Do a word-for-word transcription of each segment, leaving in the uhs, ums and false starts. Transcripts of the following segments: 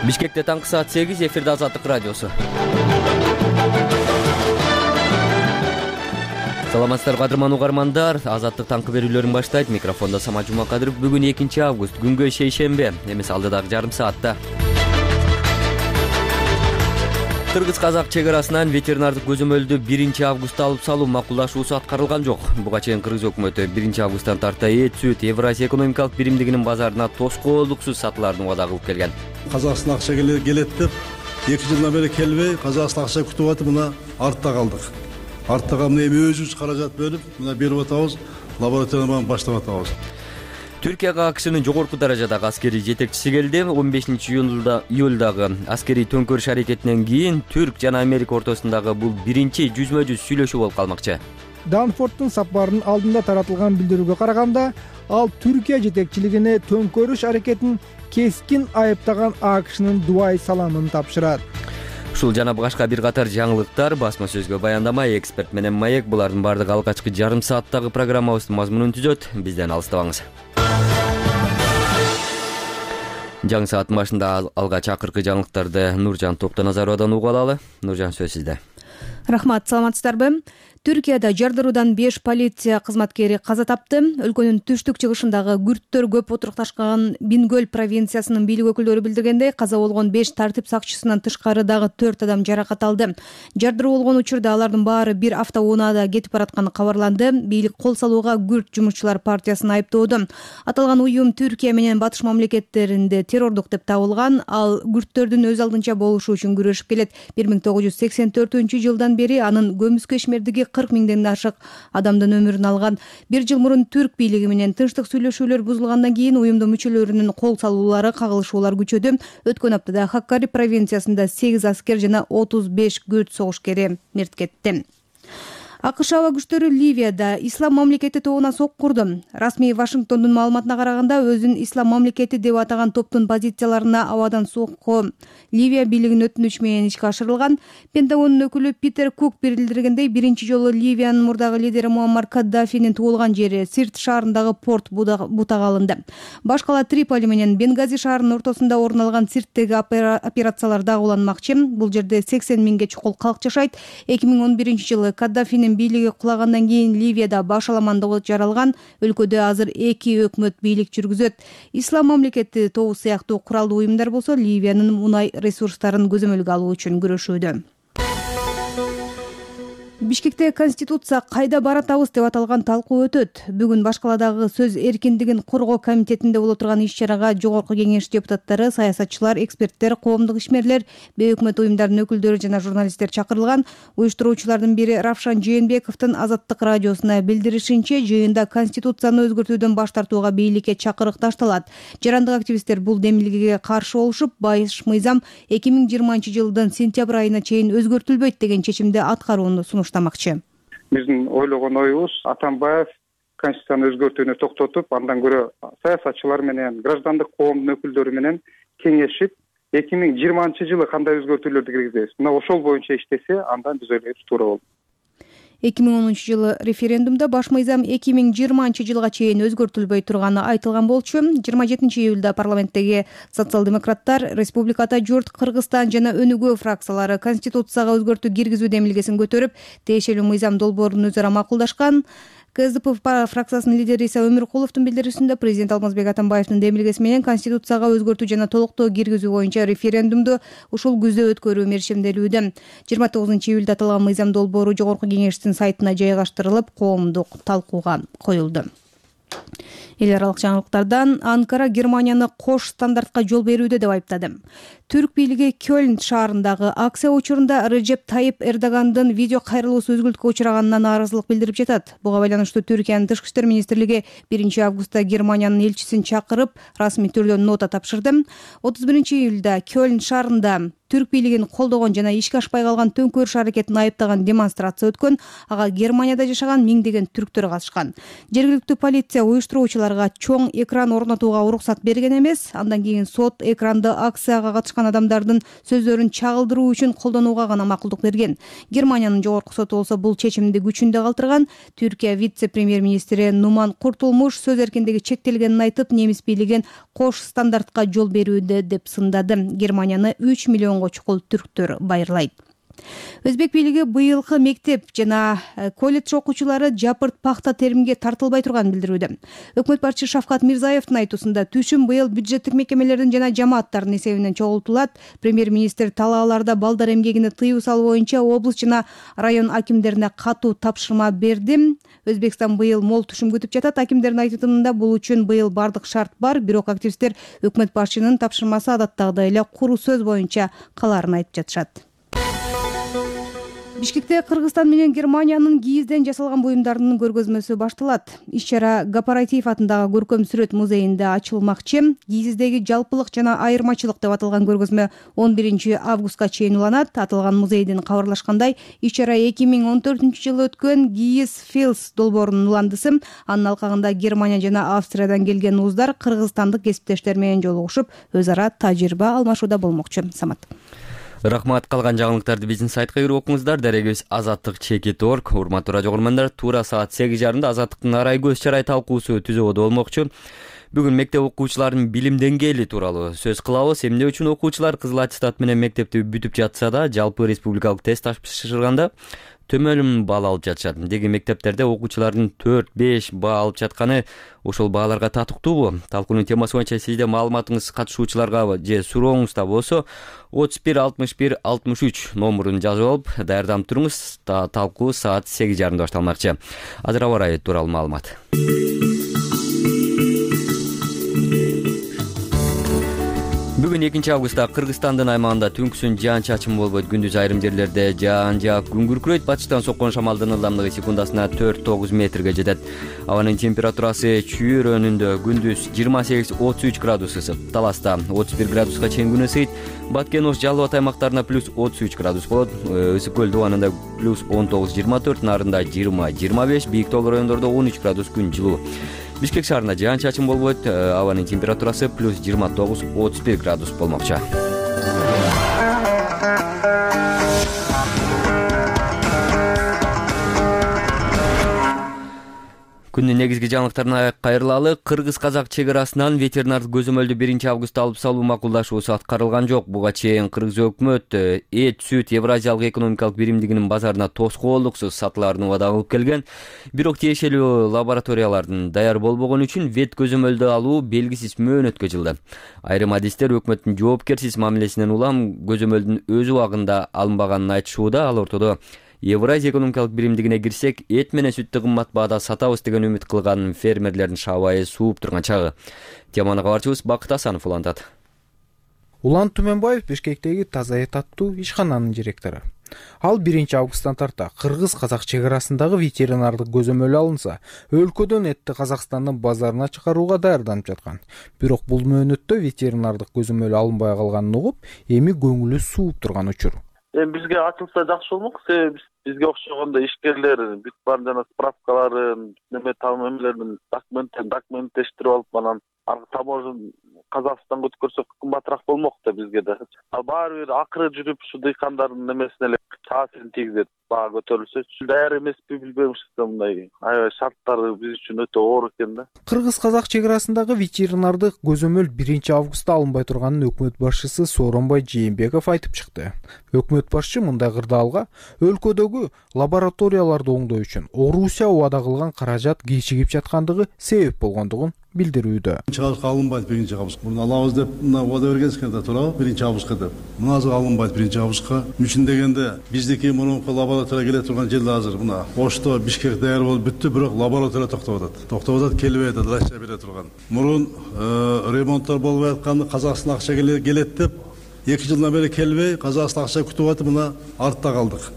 Бишкекте таңкы саат сегиз, эфирде Азаттык радиосу. Саламатсыздар кадырман угармандар, Азаттык таңкы берүүлөрүн баштайт. Микрофондо Самат Жумакадыров. Бүгүн экинчи август, күнгө шейшембе. Эмес алдыдагы жарым саатта Кыргыз-казак чек арасынан ветеринардык көзөмөлдү биринчи августта алып салуу макулдашуусу аткарылган жок. Буга чейин Кыргыз өкмөтү биринчи августтан тарта эт, сүт Евразия экономикалык биримдигинин базарына тоскоолдуксуз сатылаарын убада кылып келген. Казакстан акча келет деп эки жылдан бери келбей, Казакстан акча күтүп атып, мына артта калдык. Артта калып эми өзүбүз каражат бөлүп, мына берип атабыз, лабораторияны баштап атабыз. Түркияга АКШнын жогорку даражадагы аскерий жетекчиси келди. он бешинчи июлдагы аскерий төңкөрүш аракетинен кийин Түрк жана Америка ортосундагы бул биринчи жүзмө жүз сүйлөшүү болуп калмакчы. Данфордтун сапарынын алдында таратылган билдирүүгө караганда, ал Түркия жетекчилигине төңкөрүш аракетин кескин айыптаган АКШнын дубай саламын тапшырат. Ушул жана башка бир катар жаңылыктар басма сөзгө баяндама, эксперт менен маек, булардын баардыгы алгачкы жарым сааттагы программабыздын мазмунун түзөт. Бизден алыстабаңыз. Жаңы сааттын башында алгач акыркы жаңылыктарды Нуржан Токтоназаровадан угуп алалы. Нуржан, сөз сизде. Рахмат, саламатсыздарбы? Түркияда жардыруудан беш полиция кызматкери каза тапты. Өлкөнүн түштүк чыгышындагы күрттөр көп отурукташкан Бингөл провинциясынын бийлик өкүлдөрү билдиргендей, каза болгон беш тартип сакчысынан тышкары дагы төрт адам жаракат алды. Жардыруу болгон учурда алардын баары бир автоунаада кетип баратканы кабарланды. Бийлик кол салууга күрт жумушчулар партиясын айыптоодо. Аталган уюм Түркия менен батыш мамлекеттеринде террордук деп табылган. Ал күрттөрдүн өз алдынча болушу үчүн күрөшүп келет. бир миң тогуз жүз сексен төртүнчү жылдан бери анын көмүскө ишмердиги кырк миңден ашык адамдын өмүрүн алган. Бир жыл мурун Түрк бийлиги менен тынчтык сүйлөшүүлөр бузулгандан кийин уюмдун мүчөлөрүнүн кол салуулары, кагылышуулар күчөдү. Өткөн аптада Хаккари провинциясында сегиз аскер жана отуз беш күрт согушкери мерт кетти. АКШ аба күчтөрү Ливияда Ислам мамлекети тобуна сокку курду. Расмий Вашингтондун маалыматына караганда, өзүн Ислам мамлекети деп атаган топтун позицияларына абадан сокку Ливия бийлигинин өтүнүчү менен ишке ашырылган. Пентагондун өкүлү Питер Кук билдиргендей, биринчи жолу Ливиянын мурдагы лидери Муаммар Каддафинин туулган жери Сирт шаарындагы порт бутага алынды. Башкала Триполи менен Бенгази шаарынын ортосунда орун алган Сирттеги операциялар дагы уланмакчы. Бул жерде сексен миңге чукул калк жашайт. эки миң он биринчи жылы Каддафинин бийлиги кулагандан кийин Ливияда баш аламандык жаралган. Өлкөдө азыр эки өкмөт бийлик жүргүзөт. Ислам мамлекети тобу сыяктуу куралдуу уюмдар болсо Ливиянын мунай ресурстарын көзөмөлгө алуу үчүн күрөшүүдө. Бишкекте Конституция кайда баратабыз деп аталган талкуу өтөт. Бүгүн Башкаладагы сөз эркиндигин коргоо комитетинде боло турган иш-чарага Жогорку Кеңеш депутаттары, саясатчылар, эксперттер, коомдук ишмерлер, бейөкмөт уюмдардын өкүлдөрү жана журналисттер чакырылган. Уюштуруучулардын бири Равшан Жээнбековдун Азаттык радиосуна билдиришинче, жыйында Конституцияны өзгөртүүдөн баш тартууга бийликке чакырык ташталат. Жарандык активисттер бул демилгеге каршы болушуп, баш мыйзам эки миң жыйырманчы жылдын сентябрь айына чейин өзгөртүлбөйт деген чечимди аткарууну сунуштаган. Биздин ойлогон оюбуз, Атамбаев Конституцияны өзгөртүүнү токтотуп, андан көрө саясатчылар менен, граждандык коомдун өкүлдөрү менен кеңешип, эки миң жыйырманчы жылы кандай өзгөртүүлөрдү киргизебиз, мына ошол боюнча иштесе, андан биз ойлойбуз туура болот. эки миң онунчу жылы референдумда баш мыйзам эки миң жыйырманчы жылга чейин өзгөртүлбөй турганы айтылган болчу. жыйырма жетинчи июлда парламенттеги социал-демократтар, Республиката журт, Кыргызстан жана Өнүгүү фракциялары Конституцияга өзгөртүү киргизүү демилгесин көтөрүп, тиешелүү мыйзам долбоорун өзара макулдашкан. КСДП фракциясынын лидери Иса Өмүркуловдун билдирүүсүндө президент Алмазбек Атамбаевдин демилгеси менен Конституцияга өзгөртүү жана толуктоо киргизүү боюнча референдумду ушул күздө өткөрүү мерчимделүүдө. жыйырма тогузунчу июлда аталган мыйзам долбоору Жогорку Кеңештин сайтына жайгаштырылып, коомдук талкууга коюлду. Эл аралык жаңылыктардан Анкара Германияны кош стандартка жол берүүдө деп айыптады. Түрк бийлиги Кёльн шаарындагы акция учурунда Режеп Тайип Эрдогандын видео кайрылуусу өзгүлтүккө учраганына нааразылык билдирип жатат. Буга байланыштуу Түркиянын тышкы иштер министрлиги биринчи августта Германиянын элчисин чакырып, расмий түрдө нота тапшырды. отуз биринчи июлда Кёльн шаарында Түрк бийлигин колдогон жана ишке ашпай калган төңкөрүш аракетин айыптаган демонстрация өткөн. Ага Германияда жашаган миңдеген түрктөр катышкан. Жергиликтүү полиция уюштуруучулар аларга чоң экран орнотууга уруксат берген эмес. Андан кийин сот экранды акцияга катышкан адамдардын сөздөрүн чагылдыруу үчүн колдонууга гана макулдук берген. Германиянын жогорку соту болсо бул чечимди күчүндө калтырган. Түркия вице-премьер-министри Нуман Куртулмуш сөз эркиндиги чектелгенин айтып, немис бийлигин кош стандартка жол берүүдө деп сындады. Германияны үч миллионго чукул түрктөр байырлайт. Өзбек бийлиги быйылкы мектеп жана колледж окуучулары жапырт пахта теримге тартылбай турганын билдирүүдө. Өкмөт башчысы Шавкат Мирзаевдин айтуусунда түшүм быйыл бюджеттик мекемелердин жана жамааттардын эсебинен чогултулат. Премьер-министр талааларда балдар эмгегини тыюу салуу боюнча облус жана район акимдерине катуу тапшырма берди. Өзбекстан быйыл мол түшүм күтүп жатат. Акимдердин айтымында бул үчүн быйыл бардык шарт бар, бирок активисттер өкмөт башчынын тапшырмасы адаттагыдай эле куру сөз боюнча калаарын айтып жатышат. Бишкекте Кыргызстан менен Германиянын кийизден жасалган буюмдарынын көргөзмөсү башталат. Иш-чара Гапаратиев атындагы көркөм сүрөт музейинде ачылмакчы. Кийиздеги жалпылык жана айырмачылык деп аталган көргөзмө он биринчи августка чейин уланат. Аталган музейдин кабарлашкандай, иш-чара эки миң он төртүнчү жылы өткөн Кийиз Филс долбоорунун уландысы. Анын алкагында Германия жана Австриядан келген уздар кыргызстандык кесиптештер менен жолугушуп, өз ара тажрыйба алмашууда болмокчу. Самат. Рахмат. Калган жаңылыктарды биздин сайтка кирип окуңуздар. Дарегибиз азаттык чекит точка орг. Урматтуу радио көрөрмандар, туура саат сегиз жарымда азаттыктын арай көз чарай талкуусу түзөбөдө болмокчу. Бүгүн мектеп окуучуларынын билим деңгээли тууралуу сөз кылабыз. Эмне үчүн окуучулар кызыл аттестат менен мектепти бүтүп жатса да, жалпы республикалык тест тапшырганда төмөн баал алып жатышат. Деги мектептерде окуучулардын төрт беш баа алып жатканы ошол бааларга татыктуубу? Талкуунун темасы боюнча сизде маалыматыңыз катышуучуларга же сурооңузда болсо отуз бир алтымыш бир алтымыш үч номурун жазып алып даярданып туруңуз. Талкуу саат сегиз жарымда башталмакчы. Азыр аба ырайы тууралуу маалымат. Бүгүн экинчи августта Кыргызстандын аймагында түнкүсүн жаан-чачын болбойт. Күндүз айрым жерлерде жаан жаап күн күркүрөйт. Батыштан соккон шамалдын ылдамдыгы секундасына төрт тогуз метрге жетет. Абанын температурасы чүйрөнүндө күндүз жыйырма сегиз отуз үч градус ысык. Таласта отуз бир градуска чейин күн ысыйт. Баткен Ош Жалал Абад аймактарында плюс отуз үч градус болот. Ысык көл дубанында плюс он тогуз жыйырма төрт, Нарында жыйырма жыйырма беш, Бийик Тоо райондордо он үч градус күн жылуу. Бишкек шаарында жаан-чачын болбойт. Абанын температурасы плюс жыйырма тогуз отуз бир градус болмокчу. Күндүн негизги жаңылыктарына кайрылалы. Кыргыз-казак чек арасынан ветеринардык көзөмөлдү биринчи августта алып салуу макулдашуусу аткарылган жок. Буга чейин Кыргыз өкмөт эт, сүт Евразиялык экономикалык биримдигинин базарына тоскоолдуксуз сатылаарын убада кылып келген. Бирок тиешелүү лабораториялардын даяр болбогону үчүн вет көзөмөлдү алуу белгисиз мөөнөткө жылды. Айрым адистер өкмөттүн жоопкерсиз мамилесинен улам көзөмөлдүн өз убагында алынбаганын айтышууда. Ал ортодо Евразия экономикалык биримдигине кирсек, эт менен сүттү кымбат баада сатабыз деген үмүт кылган фермерлердин шабайы сууп турган чагы. Теманы кабарчыбыз Бакыт Асанов улантат. Улан Түмөнбаев Бишкектеги Таза эт аттуу ишкананын директору. Ал биринчи августтан тарта кыргыз-казак чек арасындагы ветеринардык көзөмөл алынса, өлкөдөн этти Казакстандын базарына чыгарууга даярданып жаткан. Бирок бул мөөнөттө ветеринардык көзөмөл алынбай калганын угуп, эми көңүлү сууп турган учур. Эми бизге ачылса жакшы болмок. Себеби бизге окшогондо ишкерлер бүт бар жана справкаларын, неме тамамелерин документтерин документтештирип алып, анан таможен Казакстанга өткөрсөк кымбатыраак болмок да бизге да. А баары бир акыры жүрүп ушу дыйкандардын немесине эле таасирин тийгизет. Баа көтөрүлсө, даяр эмеспи билбейм, ушу мындай аябай шарттары биз үчүн өтө оор экен да. Кыргыз-казак чек арасындагы ветеринардык көзөмөл биринчи августта алынбай турганын өкмөт башчысы Сооронбай Жээнбеков айтып чыкты. Өкмөт башчы мындай кырдаалга өлкөдөгү лабораторияларды оңдоо үчүн Орусия убада кылган каражат кечигип жаткандыгы себеп болгондугун билдирүүдө. Биринчи августка алынбайт биринчи август. Муну алабыз деп мына убада бергенсиң да туурабы? биринчи августка деп. Мына азыр алынбайт биринчи августка. Үчүн дегенде биздики мурунку лаборатория келе турган жерде азыр мына Ошто, Бишкек даяр болуп бүттү, бирок лаборатория токтоп атат. Токтоп атат, келбей атат, Россия бере турган. Мурун ремонттор болбой атканды Казакстан акча келет деп эки жылдан бери келбей, Казакстан акча күтүп атып, мына артта калдык.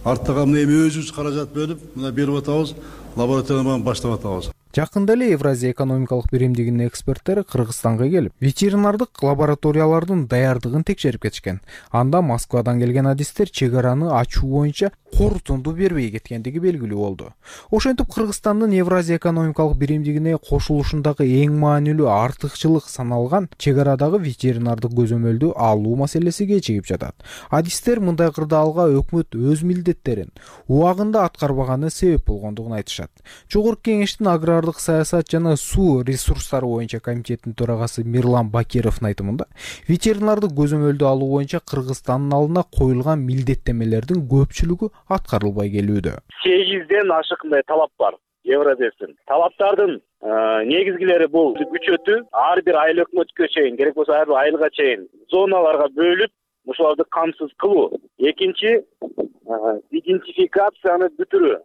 Артта калып эми өзүбүз каражат бөлүп, мына берип атабыз, лабораторияны баштап атабыз. Жакында эле Евразия экономикалык биримдигинин эксперттери Кыргызстанга келип, ветеринардык лабораториялардын даярдыгын текшерип кетишкен. Анда Москвадан келген адистер чек араны ачуу боюнча корутунду бербей кеткендиги белгилүү болду. Ошентип Кыргызстандын Евразия экономикалык биримдигине кошулушундагы эң маанилүү артыкчылык саналган чек арадагы ветеринардык көзөмөлдү алуу маселеси кечигип жатат. Адистер мындай кырдаалга өкмөт өз милдеттерин убагында аткарбаганы себеп болгондугун айтышат. Жогорку кеңештин агрардык саясат жана суу ресурстары боюнча комитетинин төрагасы Мирлан Бакировдун айтымында, ветеринардык көзөмөлдү алуу боюнча Кыргызстандын алдына коюлган милдеттемелердин көпчүлүгү аткарылбай келүүдө. сегизден ашык мындай талап бар Евразиясынын. Талаптардын негизгилери бул күчөтүү, ар бир айыл өкмөткө чейин, керек болсо ар бир айылга чейин зоналарга бөлүп, ушуларды камсыз кылуу. Экинчи, идентификацияны бүтүрүү.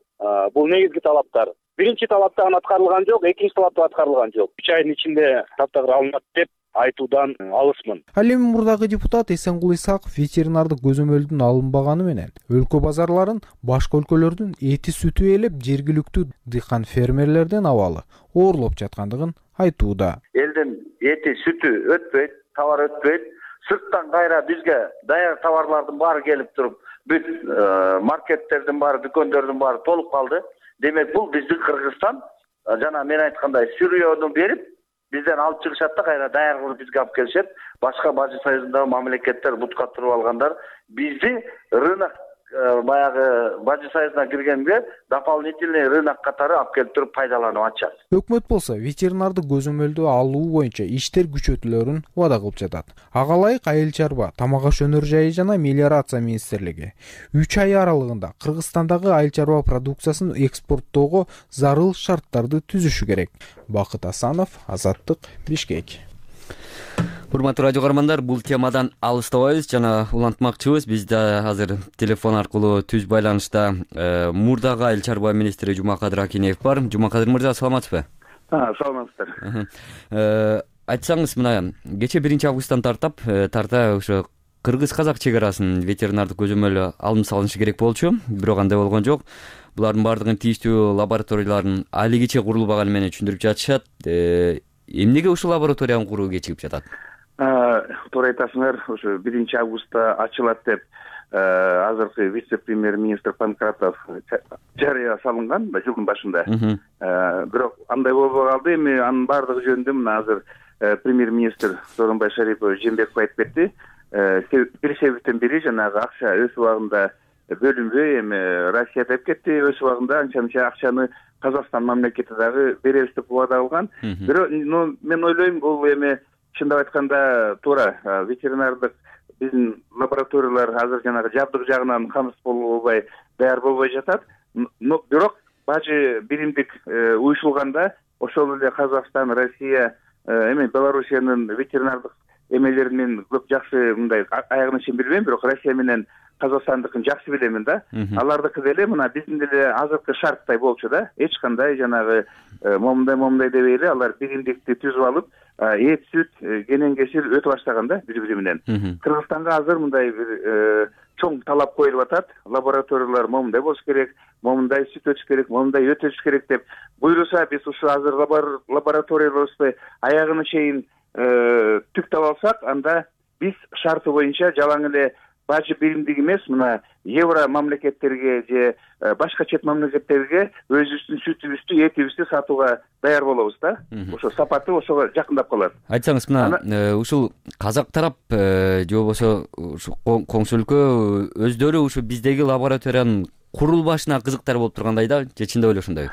Бул негизги талаптар. Биринчи талаптан аткарылган жок, экинчи талаптан аткарылган жок. үч айдын ичинде таптагыр алынат деп айтуудан алысмын. Ал эми мурдагы депутат Эсенгул Исаков ветеринардык көзөмөлдүн алынбаганы менен өлкө базарларын башка өлкөлөрдүн эти сүтү ээлеп, жергиликтүү дыйкан фермерлерден абалы оорлоп жаткандыгын айтууда. Элдин эти сүтү өтпөйт, товар өтпөйт. Сырттан кайра бизге даяр товарлардын баары келип туруп, бүт маркеттердин баары, дүкөндөрдүн баары толуп калды. Демек бул биздин Кыргызстан жана мен айткандай сырьёну берип, бизден алып чыгышат да кайра даяр кылып бизге алып келишет. Башка Бажы союзундагы мамлекеттер бутка туруп алгандар бизди рынок баягы Бажы союзуна киргенге дополнительный рынок катары алып келип туруп пайдаланып атышат. Өкмөт болсо ветеринардык көзөмөлдү алуу боюнча иштер күчөтүлөрүн убада кылып жатат. Ага ылайык Айыл чарба, Тамак аш өнөр жайы жана мелиорация министрлиги үч ай аралыгында Кыргызстандагы айыл чарба продукциясын экспорттоого зарыл шарттарды түзүшү керек. Бакыт Асанов, Азаттык, Бишкек. Урматтуу радио көрөрмандар, бул темадан алыстабайбыз жана улантмакчыбыз. Бизде азыр телефон аркылуу түз байланышта мурдагы айыл чарба министри Жумакадыр Акинеев бар. Жумакадыр мырза, саламатсызбы? Саламатсыздар. Айтсаңыз, мына кечээ биринчи августтан тартап тарта ошо кыргыз-казак чек арасын ветеринардык көзөмөл алым салынышы керек болчу, бирок андай болгон жок. Булардын баардыгын тийиштүү лабораториялардын али кече курулбаганы менен түшүндүрүп жатышат. Эмнеге ушул лабораторияны куруу кечигип жатат? Туура айтасыңар, ошо биринчи августта ачылат деп азыркы вице-премьер-министр Панкратов жарыя салынган жылдын башында. Бирок андай болбой калды. Эми анын баардыгы жөнүндө мына азыр премьер-министр Сооронбай Шарипович Жээнбеков айтып кетти. Бир себептен бири жанагы акча өз убагында бөлүнбөй, эми Россия деп кетти, өз убагында анча-мынча акчаны Казакстан мамлекети дагы беребиз деп убада кылган. Бирок мен ойлойм, бул эми чындап айтканда туура ветеринардык биздин лабораториялар азыр жанагы жабдык жагынан камсыз болбой, даяр болбой жатат. Бирок Бажы биримдик уюшулганда ошол эле Казакстан, Россия, эми Белоруссиянын ветеринардык эмелери мен көп жакшы мындай аягына чейин билбейм, бирок Россия менен Казакстандыкын жакшы билемин да. Алардыкы деле мына биздин деле азыркы шарттай болчу да. Эч кандай жанагы момундай момундай дебей эле алар биримдикти түзүп алып, эт, сүт, кенен кесир өтө баштаган да бири-бири менен. Кыргызстанга азыр мындай бир чоң талап коюлуп атат. Лабораториялар момундай болуш керек, момундай сүт өтүш керек, момундай өт өтүш керек деп буйруса, биз ушу азыр лабораториябызды аягына чейин түктөп алсак, анда биз шарты боюнча жалаң эле Бажы биримдик эмес, мына евро мамлекеттерге же башка чет мамлекеттерге өзүбүздүн сүтүбүздү, этибизди сатууга даяр болобуз да. Ошо сапаты ошого жакындап калат. Айтсаңыз, мына ушул казак тарап же болбосо коңшу өлкө өздөрү ушу биздеги лабораториянын курулбашына кызыктар болуп тургандай да, же чындап эле ошондой?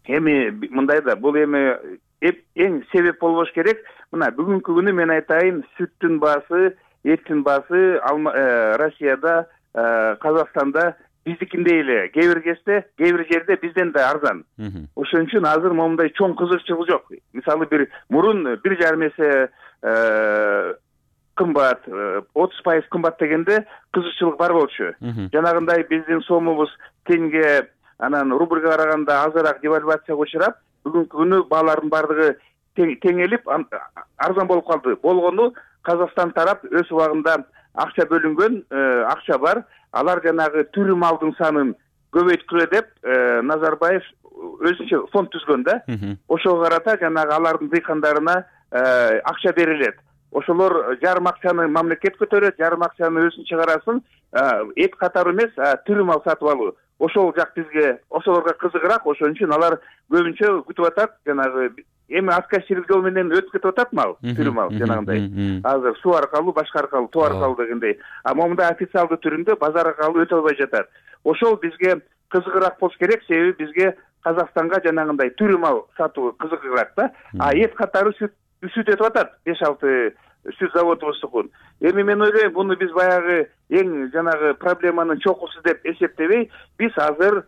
Эми мындай да, бул эми эң себеп болбош керек. Мына бүгүнкү күнү мен айтайын, сүттүн баасы, эттин баасы Россияда, Казакстанда биздикиндей эле, кээ бир кезде, кээ бир жерде бизден да арзан. Ошон үчүн азыр момундай чоң кызыкчылык жок. Мисалы бир мурун бир жарым эсе кымбат, отуз пайыз кымбат дегенде кызыкчылык бар болчу. Жанагындай биздин сомубуз тенге, анан рубльга караганда азыраак девальвацияга учурап, бүгүнкү күнү баалардын баардыгы теңелип арзан болуп калды. Болгону Казакстан тарап өз убагында акча бөлүнгөн, акча бар. Алар жанагы түрү малдын санын көбөйткүлө деп Назарбаев өзүнчө фонд түзгөн да. Ошого карата жанагы алардын дыйкандарына акча берилет. Ошолор жарым акчаны мамлекет көтөрөт, жарым акчаны өзүнүн чыгарасын эт катары эмес, тирүү мал сатып алуу. Ошол жак бизге, ошолорго кызыгыраак, ошон үчүн алар көбүнчө күтүп атат, жанагы эми аскерчилик жол менен өтүп кетип атат мал, тирүү мал жанагындай. Азыр суу аркылуу, башка аркылуу, тоо аркылуу дегендей. А момундай официалдуу түрүндө базар аркылуу өтө албай жатат. Ошол бизге кызыгыраак болуш керек, себеби бизге Казакстанга жанагындай тирүү мал сатуу кызыгыраак да. А эт катары сүт сүт өтүп атат, беш алты сүт заводубуздукун. Эми мен ойлойм, буну биз баягы эң жанагы проблеманын чокусу деп эсептебей, биз азыр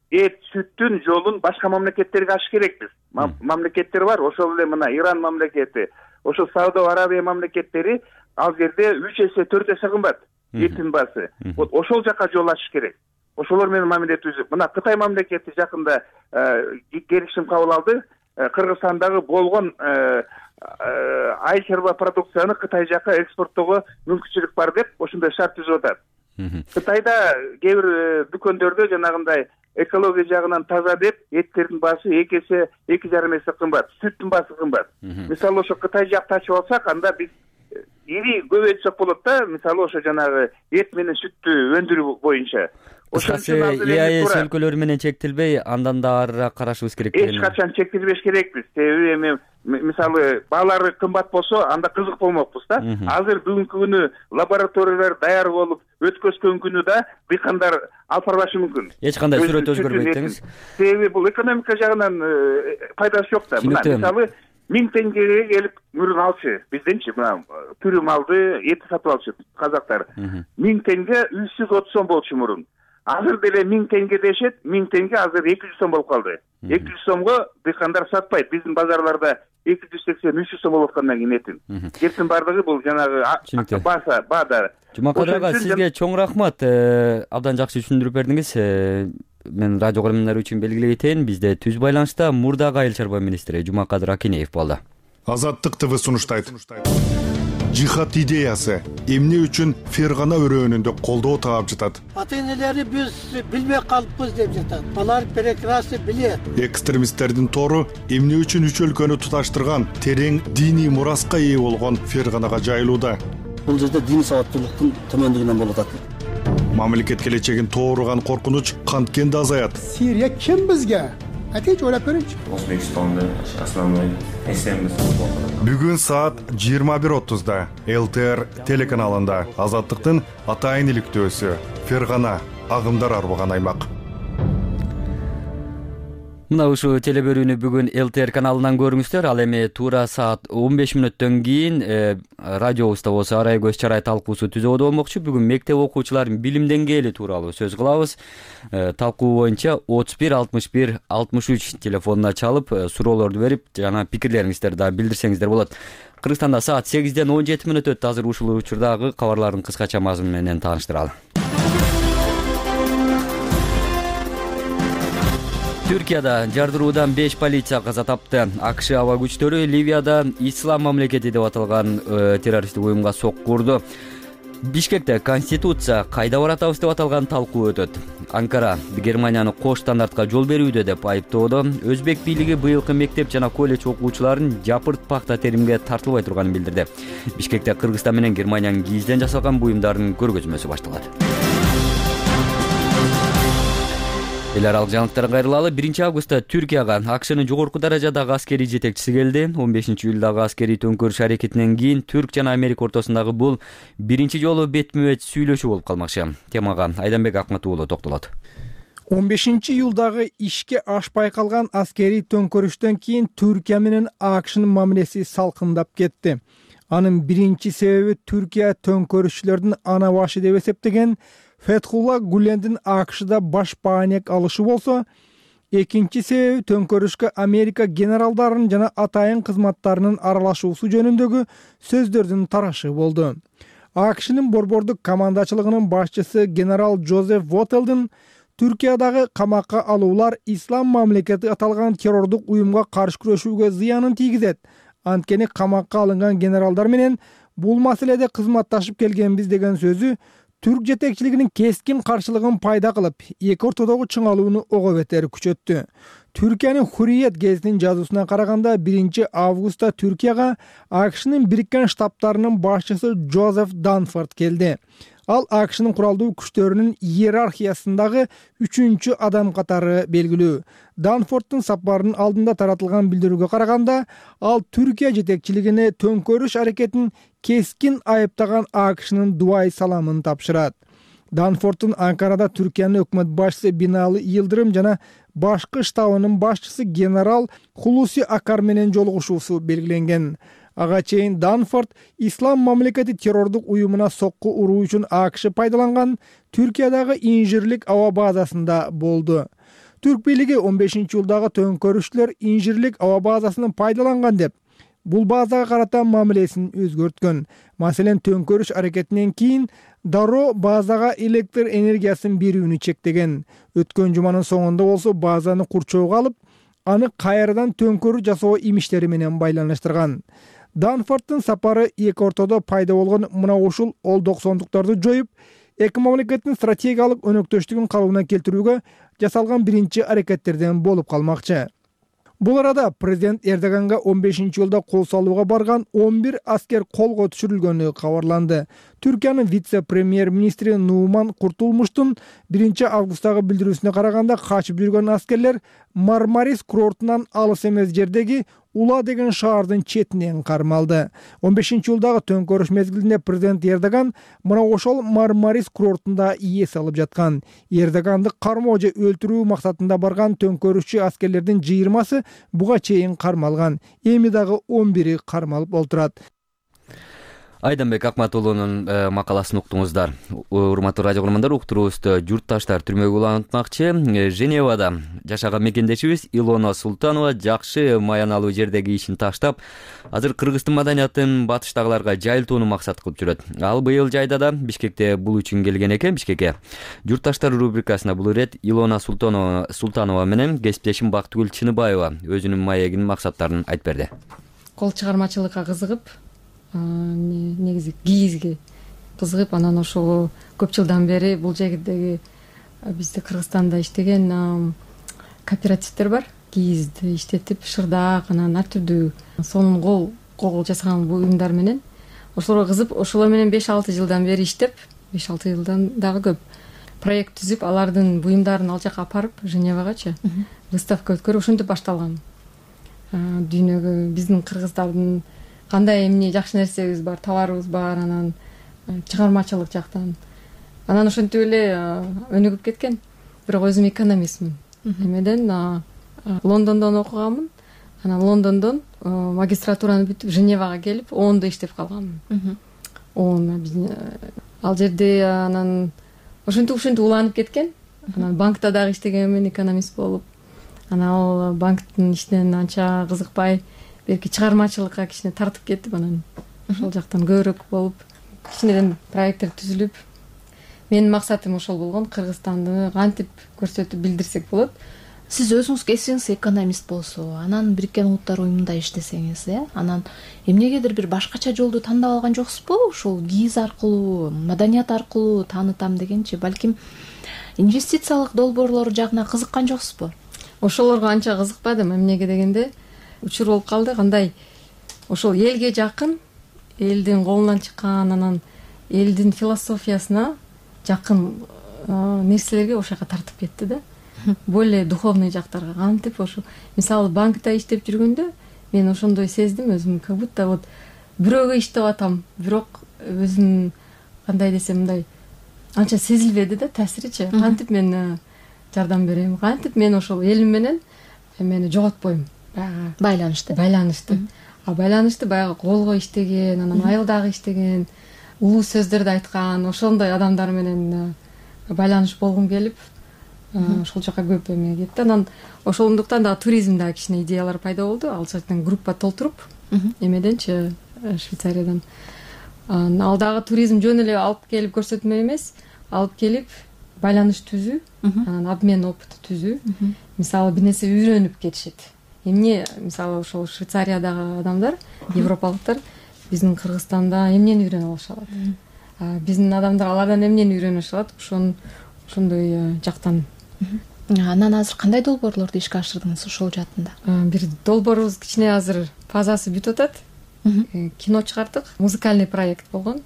эт сүттүн жолун башка мамлекеттерге ачыш керекпиз. Мамлекеттер бар, ошол эле мына Иран мамлекети, ошо Сауд Арабия мамлекеттери ал жерде үч эсе, төрт эсе кымбат эттин баасы. Вот ошол жака жол ачыш керек. Ошолор менен мамиле түзүп, мына Кытай мамлекети жакында келишим кабыл алды. Кыргызстандагы болгон ай чарба продукцияны Кытай жака экспорттоого мүмкүнчүлүк бар деп ошондой шарт түзүп атат. Кытайда кээ бир дүкөндөрдө жанагындай экология жагынан таза деп эттердин баасы эки эсе, эки жарым эсе кымбат, сүттүн баасы кымбат. Мисалы ошо Кытай жакты ачып алсак, анда биз ири көбөйтсөк болот да, мисалы ошо жанагы эт менен сүттү өндүрүү боюнча. Кыскасы ЕАЭС өлкөлөрү менен чектелбей, андан да арыраак карашыбыз керек. Эч качан чектелбеш керекпиз. Себеби эми мисалы баалары кымбат болсо, анда кызык болмокпуз да. Азыр бүгүнкү күнү лабораториялар даяр болуп, өткөзгөн күнү да дыйкандар алып барбашы мүмкүн. Эч кандай сүрөт өзгөрбөйт деңиз. Себеби бул экономика жагынан пайдасы жок да. Мына мисалы миң теңгеге келип мүрүн алчы, бизденчи мына тирүү малды эт сатып алчу казактар. миң теңге үч жүз отуз сом болчу мурун. Азыр деле миң теңге дешет, миң теңге азыр эки жүз сом болуп калды. эки жүз сомго дыйкандар сатпайт. Биздин базарларда эки жүз сексен, үч жүз сом болуп аткандан кийин этин. Кептин бардыгы бул жанагы баса, баада. Жумакадыр ага, сизге чоң рахмат. Абдан жакшы түшүндүрүп бердиңиз. Мен радио көрөрмандар үчүн белгилей кетейин, бизде түз байланышта мурдагы айыл чарба министри Жумакадыр Акинеев болду. Азаттык ТВ сунуштайт. Жихад идеясы эмне үчүн Фергана өрөөнүндө колдоо таап жатат? Ата-энелери биз билбей калыппыз деп жатат. Алар прекрасно билет. Экстремисттердин тору эмне үчүн үч өлкөнү туташтырган терең диний мураска ээ болгон Ферганага жайылууда? Бул жерде дин сабаттуулуктун төмөндүгүнөн болуп атат. Мамлекет келечегин тооруган коркунуч канткен да азаят? Сирия ким бизге? Атеч ойлоп көрүңүчү. Өзбекстанда основной эсембиз. Бүгүн саат жыйырма бир отузда эл тэ эр телеканалында Азаттыктын атайын иликтөөсү Фергана агымдар арбаган аймак. Мына ушул телебөрүүнү бүгүн эл тэ эр каналынан көрүңүздөр. Ал эми туура саат он беш мүнөттөн кийин радиобузда болсо арай көз чарай талкуусу түзөдө болмокчу. Бүгүн мектеп окуучуларынын билим деңгээли тууралуу сөз кылабыз. Талкуу боюнча отуз бир алтымыш бир алтымыш үч телефонуна чалып, суроолорду берип, жана пикирлериңиздерди да билдирсеңиздер болот. Кыргызстанда саат сегизден он жети мүнөт өттү. Азыр ушул учурдагы кабарлардын кыскача мазмуну менен тааныштыралы. Түркияда жардыруудан беш полиция каза тапты. АКШ аба күчтөрү Ливияда Ислам мамлекети деп аталган террористтик уюмга сокку урду. Бишкекте конституция кайда баратабыз деп аталган талкуу өтөт. Анкара Германияны кош стандартка жол берүүдө деп айыптоодо. Өзбек бийлиги быйылкы мектеп жана колледж окуучуларын жапырт пахта теримге тартылбай турганын билдирди. Бишкекте Кыргызстан менен Германиянын кийизден жасалган буюмдардын көргөзмөсү башталат. Эл аралык жаңылыктарга кайрылалы. биринчи августта Түркияга АКШнын жогорку даражадагы аскерий жетекчиси келди. он бешинчи июлдагы аскерий төңкөрүш аракетинен кийин Түрк жана Америка ортосундагы бул биринчи жолу бетме-бет сүйлөшүү болуп калмакчы. Темага Айданбек Акмат уулу токтолот. он бешинчи июлдагы ишке ашпай калган аскерий төңкөрүштөн кийин Түркия менен АКШнын мамилеси салкындап кетти. Анын биринчи себеби Түркия төңкөрүшчүлөрдүн ана башы деп эсептеген Фетхулла Гулендин АКШда баш баанек алышы болсо, экинчи себеби төңкөрүшкө Америка генералдарынын жана атайын кызматтарынын аралашуусу жөнүндөгү сөздөрдүн тарашы болду. АКШнын борбордук командачылыгынын башчысы генерал Джозеф Вотелдин Түркиядагы камакка алуулар Ислам мамлекети аталган террордук уюмга каршы күрөшүүгө зыянын тийгизет. Анткени камакка алынган генералдар менен бул маселеде кызматташып келгенбиз деген сөзү түрк жетекчилигинин кескин каршылыгын пайда кылып, эки ортодогу чыңалууну ого бетер күчөттү. Түркиянын Hurriyet гезитинин жазуусуна караганда биринчи августта Түркияга АКШнын Бириккен Штаттарынын башчысы Джозеф Данфорд келди. Ал АКШнын куралдуу күчтөрүнүн иерархиясындагы үчүнчү адам катары белгилүү. Данфорддун сапарынын алдында таратылган билдирүүгө караганда, ал Түркия жетекчилигине төңкөрүш аракетин кескин айыптаган АКШнын дубай саламын тапшырат. Данфорддун Анкарада Түркиянын өкмөт башчысы Бинали Йылдырым жана башкы штабынын башчысы генерал Хулуси Акар менен жолугушуусу белгиленген. Ага чейин Данфорд Ислам мамлекети террордук уюмуна сокку уруу үчүн АКШ пайдаланган Түркиядагы инжирлик аба базасында болду. Түрк бийлиги он бешинчи жылдагы төңкөрүшчүлөр инжирлик аба базасын пайдаланган деп, бул базага карата мамилесин өзгөрткөн. Маселен, төңкөрүш аракетинен кийин дароо базага электр энергиясын берүүнү чектеген. Өткөн жуманын соңунда болсо базаны курчоого алып, аны кайрадан төңкөрүү жасоо имиштери менен байланыштырган. Данфорддун сапары эки ортодо пайда болгон мына ушул олдоксондуктарды жоюп, эки мамлекеттин стратегиялык өнөктөштүгүн калыбына келтирүүгө жасалган биринчи аракеттерден болуп калмакчы. Бул арада президент Эрдоганга он бешинчи жылда кол салууга барган он бир аскер колго түшүрүлгөнү кабарланды. Түркиянын вице-премьер-министри Нуман Куртулмуштун биринчи августтагы билдирүүсүнө караганда, качып жүргөн аскерлер Мармарис курортунан алыс эмес жердеги Ула деген шаардын четинен кармалды. он бешинчи жылдагы төңкөрүш мезгилинде президент Эрдоган мына ошол Мармарис курортунда эс алып жаткан. Эрдоганды кармоо же өлтүрүү максатында барган төңкөрүшчү аскерлердин жыйырмасы буга чейин кармалган. Эми дагы он бири кармалып олтурат. Айданбек Акматулунун макаласын уктуңуздар. Урматтуу радио көрөрмандар, уктуруубузду журтташтар түрмөгө улантмакчы. Женевада жашаган мекендешибиз Илона Султанова жакшы маяналуу жердеги ишин таштап, азыр Кыргыздын маданиятын батыштагыларга жайылтууну максат кылып жүрөт. Ал быйыл жайда да Бишкекте бул үчүн келген экен. Бишкекке журтташтар рубрикасына бул ирет Илона Султанова Султанова менен кесиптешим Бактыгүл Чыныбаева өзүнүн маегинин максаттарын айтып берди. Кол чыгармачылыкка кызыгып, негизи кийизге кызыгып, анан ошого көп жылдан бери бул жердеги бизде Кыргызстанда иштеген кооперативдер бар. Кийизди иштетип, шырдак, анан ар түрдүү сонун кол кол жасаган бул уюмдар менен ошолорго кызып, ошолор менен беш алты жылдан бери иштеп, беш алты жылдан дагы көп проект түзүп, алардын буюмдарын ал жака апарып, Женевагачы выставка өткөрүп, ошентип башталган. Дүйнөгө биздин кыргыздардын кандай эмне жакшы нерсебиз бар, товарыбыз бар, анан чыгармачылык жактан. Анан ошентип эле өнүгүп кеткен. Бирок өзүм экономистмин. Эмеден Лондондон окуганмын. Анан Лондондон магистратураны бүтүп, Женевага келип, оонда иштеп калганмын. оон ал жерде анан ошентип ушинтип уланып кеткен. Анан банкта дагы иштегенмин, экономист болуп. Анан ал банктын ишинен анча кызыкпай, белки чыгармачылыкка кичине тартып кетип, анан ошол жактан көбүрөөк болуп, кичинеден проекттер түзүлүп, менин максатым ошол болгон, Кыргызстанды кантип көрсөтүп билдирсек болот. Сиз өзүңүз кесибиңиз экономист болсо, анан Бириккен Улуттар уюмунда иштесеңиз, э, анан эмнегедир бир башкача жолду тандап алган жоксузбу? Ошол кийиз аркылуу, маданият аркылуу таанытам дегенчи, балким инвестициялык долбоорлор жагына кызыккан жоксузбу? Ошолорго анча кызыкпадым, эмнеге дегенде учур болуп калды. Кандай ошол элге жакын, элдин колунан чыккан, анан элдин философиясына жакын нерселерге ошол жака тартып кетти да. Более духовный жактарга. Кантип ошо, мисалы банкта иштеп жүргөндө мен ошондой сездим өзүм, как будто вот бирөөгө иштеп атам, бирок өзүм кандай десем мындай анча сезилбеди да таасиричи. Кантип мен жардам берем, кантип мен ошол элим менен эмени жоготпойм. Баягы байланышты. Байланышты. А байланышты баягы колго иштеген, анан айылдагы иштеген, улуу сөздөрдү айткан, ошондой адамдар менен байланыш болгум келип, ошол жака көп эме кетти. Анан ошондуктан дагы туризмде кичине идеялар пайда болду. Ал жактан группа толтуруп, эмеденчи Швейцариядан. Ал дагы туризм жөн эле алып келип көрсөтмө эмес, алып келип байланыш түзүү, анан обмен опыты түзүү. Мисалы бир нерсе үйрөнүп кетишет. Эмне, мисалы ошол Швейцариядагы адамдар, европалыктар биздин Кыргызстанда эмнени үйрөнүп алышат? биздин адамдар алардан эмнени үйрөнүшүп алат, ошон ошондой жактан. Анан азыр кандай долбоорлорду ишке ашырдыңыз ошол жаатында? Бир долбоорубуз кичине азыр фазасы бүтүп атат. Кино чыгардык, музыкальный проект болгон.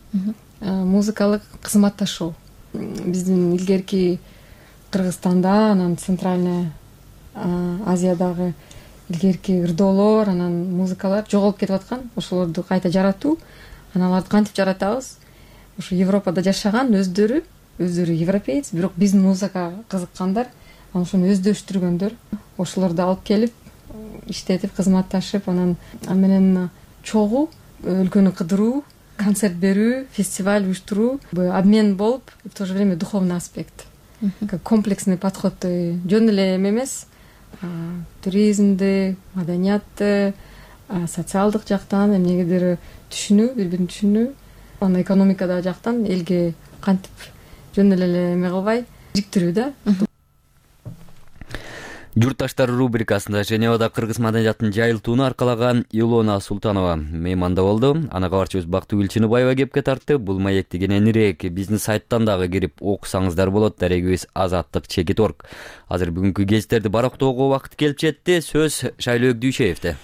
Музыкалык кызматташуу. Биздин илгерки Кыргызстанда, анан Центральный Азиядагы илгерки ырдоолор, анан музыкалар жоголуп кетип аткан. Ошолорду кайта жаратуу. Анан аларды кантип жаратабыз? Ошо Европада жашаган өздөрү, өздөрү европеец, бирок биздин музыкага кызыккандар, анан ошону өздөштүргөндөр. Ошолорду алып келип, иштетип, кызматташып, анан менен чогуу өлкөнү кыдыруу, концерт берүү, фестиваль уюштуруу, обмен болуп, в то же время духовный аспект. Как комплексный подход, жөн эле эме эмес, туризмди, маданиятты, социалдык жактан эмнегедир түшүнүү, бири бирин түшүнүү, анан экономикада жактан элге кантип жөн эле эме кылбай жиктирүү да. Журтташтар рубрикасында Женевада кыргыз маданиятын жайылтууну аркалаган Илона Султанова мейманда болду. Ана кабарчыбыз Бактыгүл Чыныбаева кепке тартты. Бул маекти кененирээк биздин сайттан дагы кирип окусаңыздар болот. Дарегибиз азаттык чекит точка орг. Азыр бүгүнкү кесиптерди барактоого убакыт келип жетти. Сөз Шайлоо Дүйшеевде.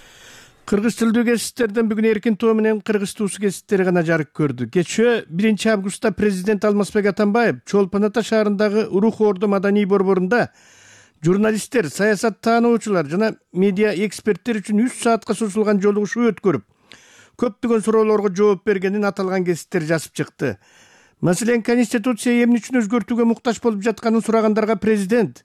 Кыргыз тилдүү кесиптерден бүгүн эркин тоо менен кыргыз туусу кесиптери гана жарык көрдү. Кечээ биринчи августта президент Алмазбек Атамбаев Чолпон Ата шаарындагы Рух Орду маданий борборунда журналисттер, саясат таануучулар жана медиа эксперттер үчүн үч саатка созулган жолугушуу өткөрүп, көптөгөн суроолорго жооп бергенин аталган кесиптер жазып чыкты. Маселен, Конституция эмне үчүн өзгөртүүгө муктаж болуп жатканын сурагандарга президент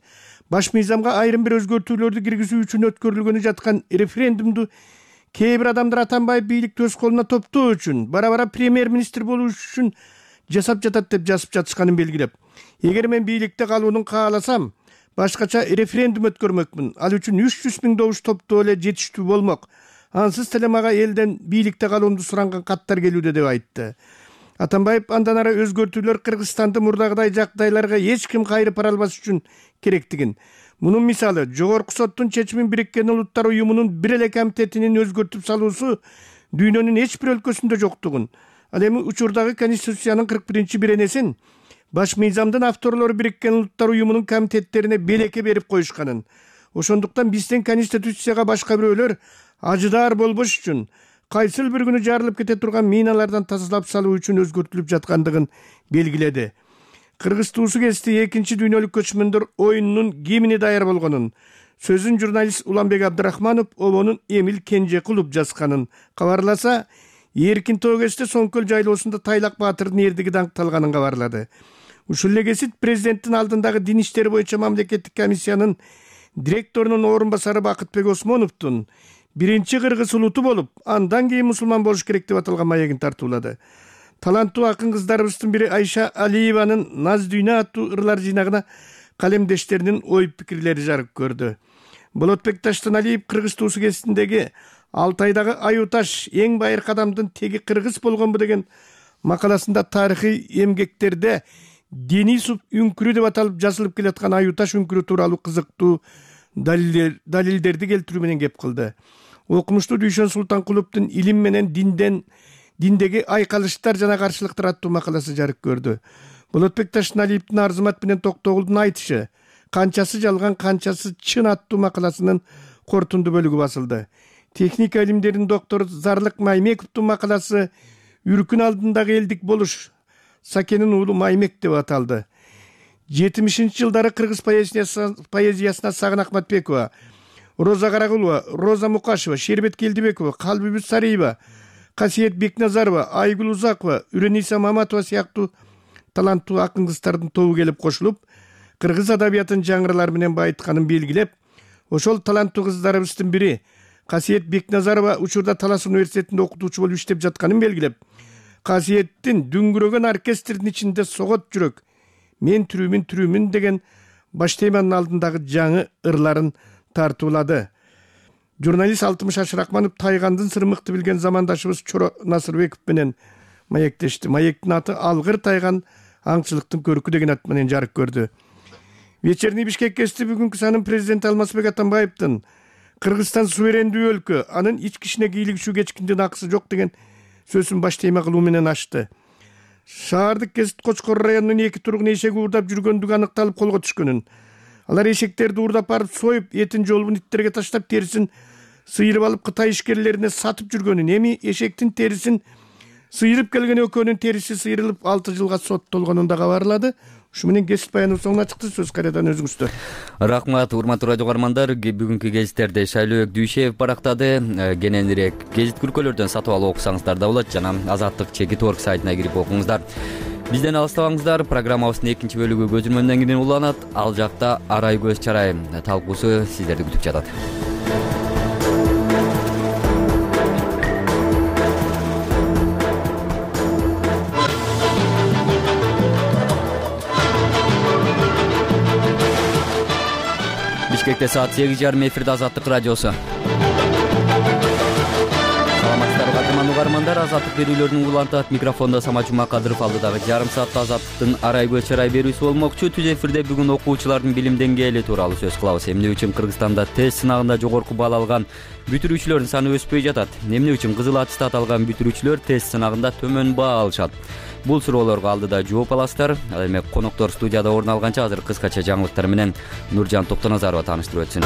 баш мыйзамга айрым бир өзгөртүүлөрдү киргизүү үчүн өткөрүлгөнү жаткан референдумду кээ бир адамдар Атамбаев бийликти өз колуна топтоо үчүн, бара-бара премьер-министр болуу үчүн жасап жатат деп жазып жатышканын белгилеп, эгер мен бийликте калууну кааласам, башкача референдум өткөрмөкмүн. Ал үчүн үч жүз миң добуш топтоо эле жетиштүү болмок. Ансыз деле мага элден бийликте калуумду суранган каттар келүүдө деп айтты. Атамбаев андан ары өзгөртүүлөр Кыргызстанды мурдагыдай жагдайларга эч ким кайрып бара албас үчүн керектигин. Мунун мисалы Жогорку соттун чечимин Бириккен Улуттар уюмунун бир эле комитетинин өзгөртүп салуусу дүйнөнүн эч бир өлкөсүндө жоктугун. Ал эми учурдагы Конституциянын кырк биринчи беренесин баш мыйзамдын авторлору Бириккен Улуттар уюмунун комитеттерине белекке берип коюшканын. Ошондуктан биздин Конституцияга башка бирөөлөр ажыдаар болбош үчүн кайсыл бир күнү жарылып кете турган миналардан тазалап салуу үчүн өзгөртүлүп жаткандыгын белгиледи. Кыргыз туусу кести экинчи дүйнөлүк көчмөндөр оюнунун кимине даяр болгонун, сөзүн журналист Уланбек Абдрахманов обонун Эмил Кенжекулов жазганын кабарласа, эркин тоо кесте Соңкөл жайлоосунда Тайлак Баатырдын эрдиги даңкталганын кабарлады. Ушул эле кесип президенттин алдындагы дин иштери боюнча мамлекеттик комиссиянын директорунун орун басары Бакытбек Осмоновдун биринчи кыргыз улуту болуп, андан кийин мусулман болуш керек деп аталган маегин тартуулады. Таланттуу акын кыздарыбыздын бири Айша Алиеванын Наз дүйнө аттуу ырлар жыйнагына калемдештеринин ой пикирлери жарык көрдү. Болотбек Таштаналиев кыргыз туусу кеситиндеги Алтайдагы аю таш эң байыркы адамдын теги кыргыз болгонбу деген макаласында тарыхый эмгектерде Денисов үңкүрү деп аталып жазылып келаткан аю таш үңкүрү тууралуу кызыктуу далилдерди келтирүү менен кеп кылды. Окумуштуу Дүйшөн Султанкуловдун илим менен динден диндеги айкалыштар жана каршылыктар аттуу макаласы жарык көрдү. Болотбек Таштаналиевдин Арзымат менен Токтогулдун айтышы, канчасы жалган, канчасы чын аттуу макаласынын кортунду бөлүгү басылды. Техника илимдеринин доктору Зарлык Маймековдун макаласы Үркүн алдындагы элдик болуш Сакенин уулу Маймек деп аталды. жетимишинчи жылдары кыргыз поэзиясына Сагын Акматбекова, Роза Карагулова, Роза Мукашева, Шербет Келдибекова, Калбибүз Сариева, Касиет Бекназарова, Айгүл Узакова, Үрениса Маматова сыяктуу таланттуу акын кыздардын тобу келип кошулуп, кыргыз адабиятын жаңыралар менен байытканын белгилеп, ошол таланттуу кыздарыбыздын бири Касиет Бекназарова учурда Талас университетинде окутуучу болуп иштеп жатканын белгилеп, Касиеттин дүңгүрөгөн оркестрдин ичинде согот жүрөк, мен түрүмүн түрүмүн деген баш теманын алдындагы жаңы ырларын тартуулады. Журналист Алтымыш Ашыракманов Тайгандын сырмыкты билген замандашыбыз Чоро Насырбеков менен маектешти. Маектин аты Алгыр Тайган аңчылыктын көркү деген ат менен жарык көрдү. Вечерний Бишкек кести бүгүнкү санын президент Алмазбек Атамбаевдин Кыргызстан суверендүү өлкө, анын ички ишине кийлигишүү кечкиндин акысы жок деген сөзүн баш тема кылуу менен ачты. шаардык Кесит Кочкор районунун эки тургуну эшеги уурдап жүргөндүгү аныкталып колго түшкөнүн. Алар эшектерди уурдап барып союп, этин жолбун иттерге таштап, терисин сыйырып алып Кытай ишкерлерине сатып жүргөнүн, эми эшектин терисин сыйырып келген экөөнүн териси сыйрылып алты жылга соттолгонун да кабарлады. Ушу менен кесип баяныбы соңуна чыкты. Сөз кайрадан өзүңүздө. Рахмат, урматтуу радио каармандар. Бүгүнкү гезиттерди Шайлообек Дүйшеев барактады. Кененирээк гезит күркөлөрдөн сатып алып окусаңыздар да болот жана Азаттык чекит точка орг сайтына кирип окуңуздар. Бизден алыстабаңыздар. Программабыздын экинчи бөлүгү көзүрмөндөн кийин уланат. Ал жакта Арай көз чарай талкуусу сиздерди күтүп жатат. Бишкекте саат сегиз жарым эфирде Азаттык радиосу. Саламатсыздарбы кадырман угармандар, Азаттык берүүлөрүн улантат. Микрофондо Самат Жумакадыров, алдыдагы жарым саатта Азаттыктын Арай көз чарай берүүсү болмокчу. Түз эфирде бүгүн окуучулардын билим деңгээли тууралуу сөз кылабыз. Эмне үчүн Кыргызстанда тест сынагында жогорку балл алган бүтүрүүчүлөрдүн саны өспөй жатат? Эмне үчүн кызыл аттестат алган бүтүрүүчүлөр тест сынагында төмөн баа алышат? Бул суроолорго алдыда жооп аласыздар. Ал эми коноктор студияда орун алганча азыр кыскача жаңылыктар менен Нуржан Токтоназарова тааныштырып өтсүн.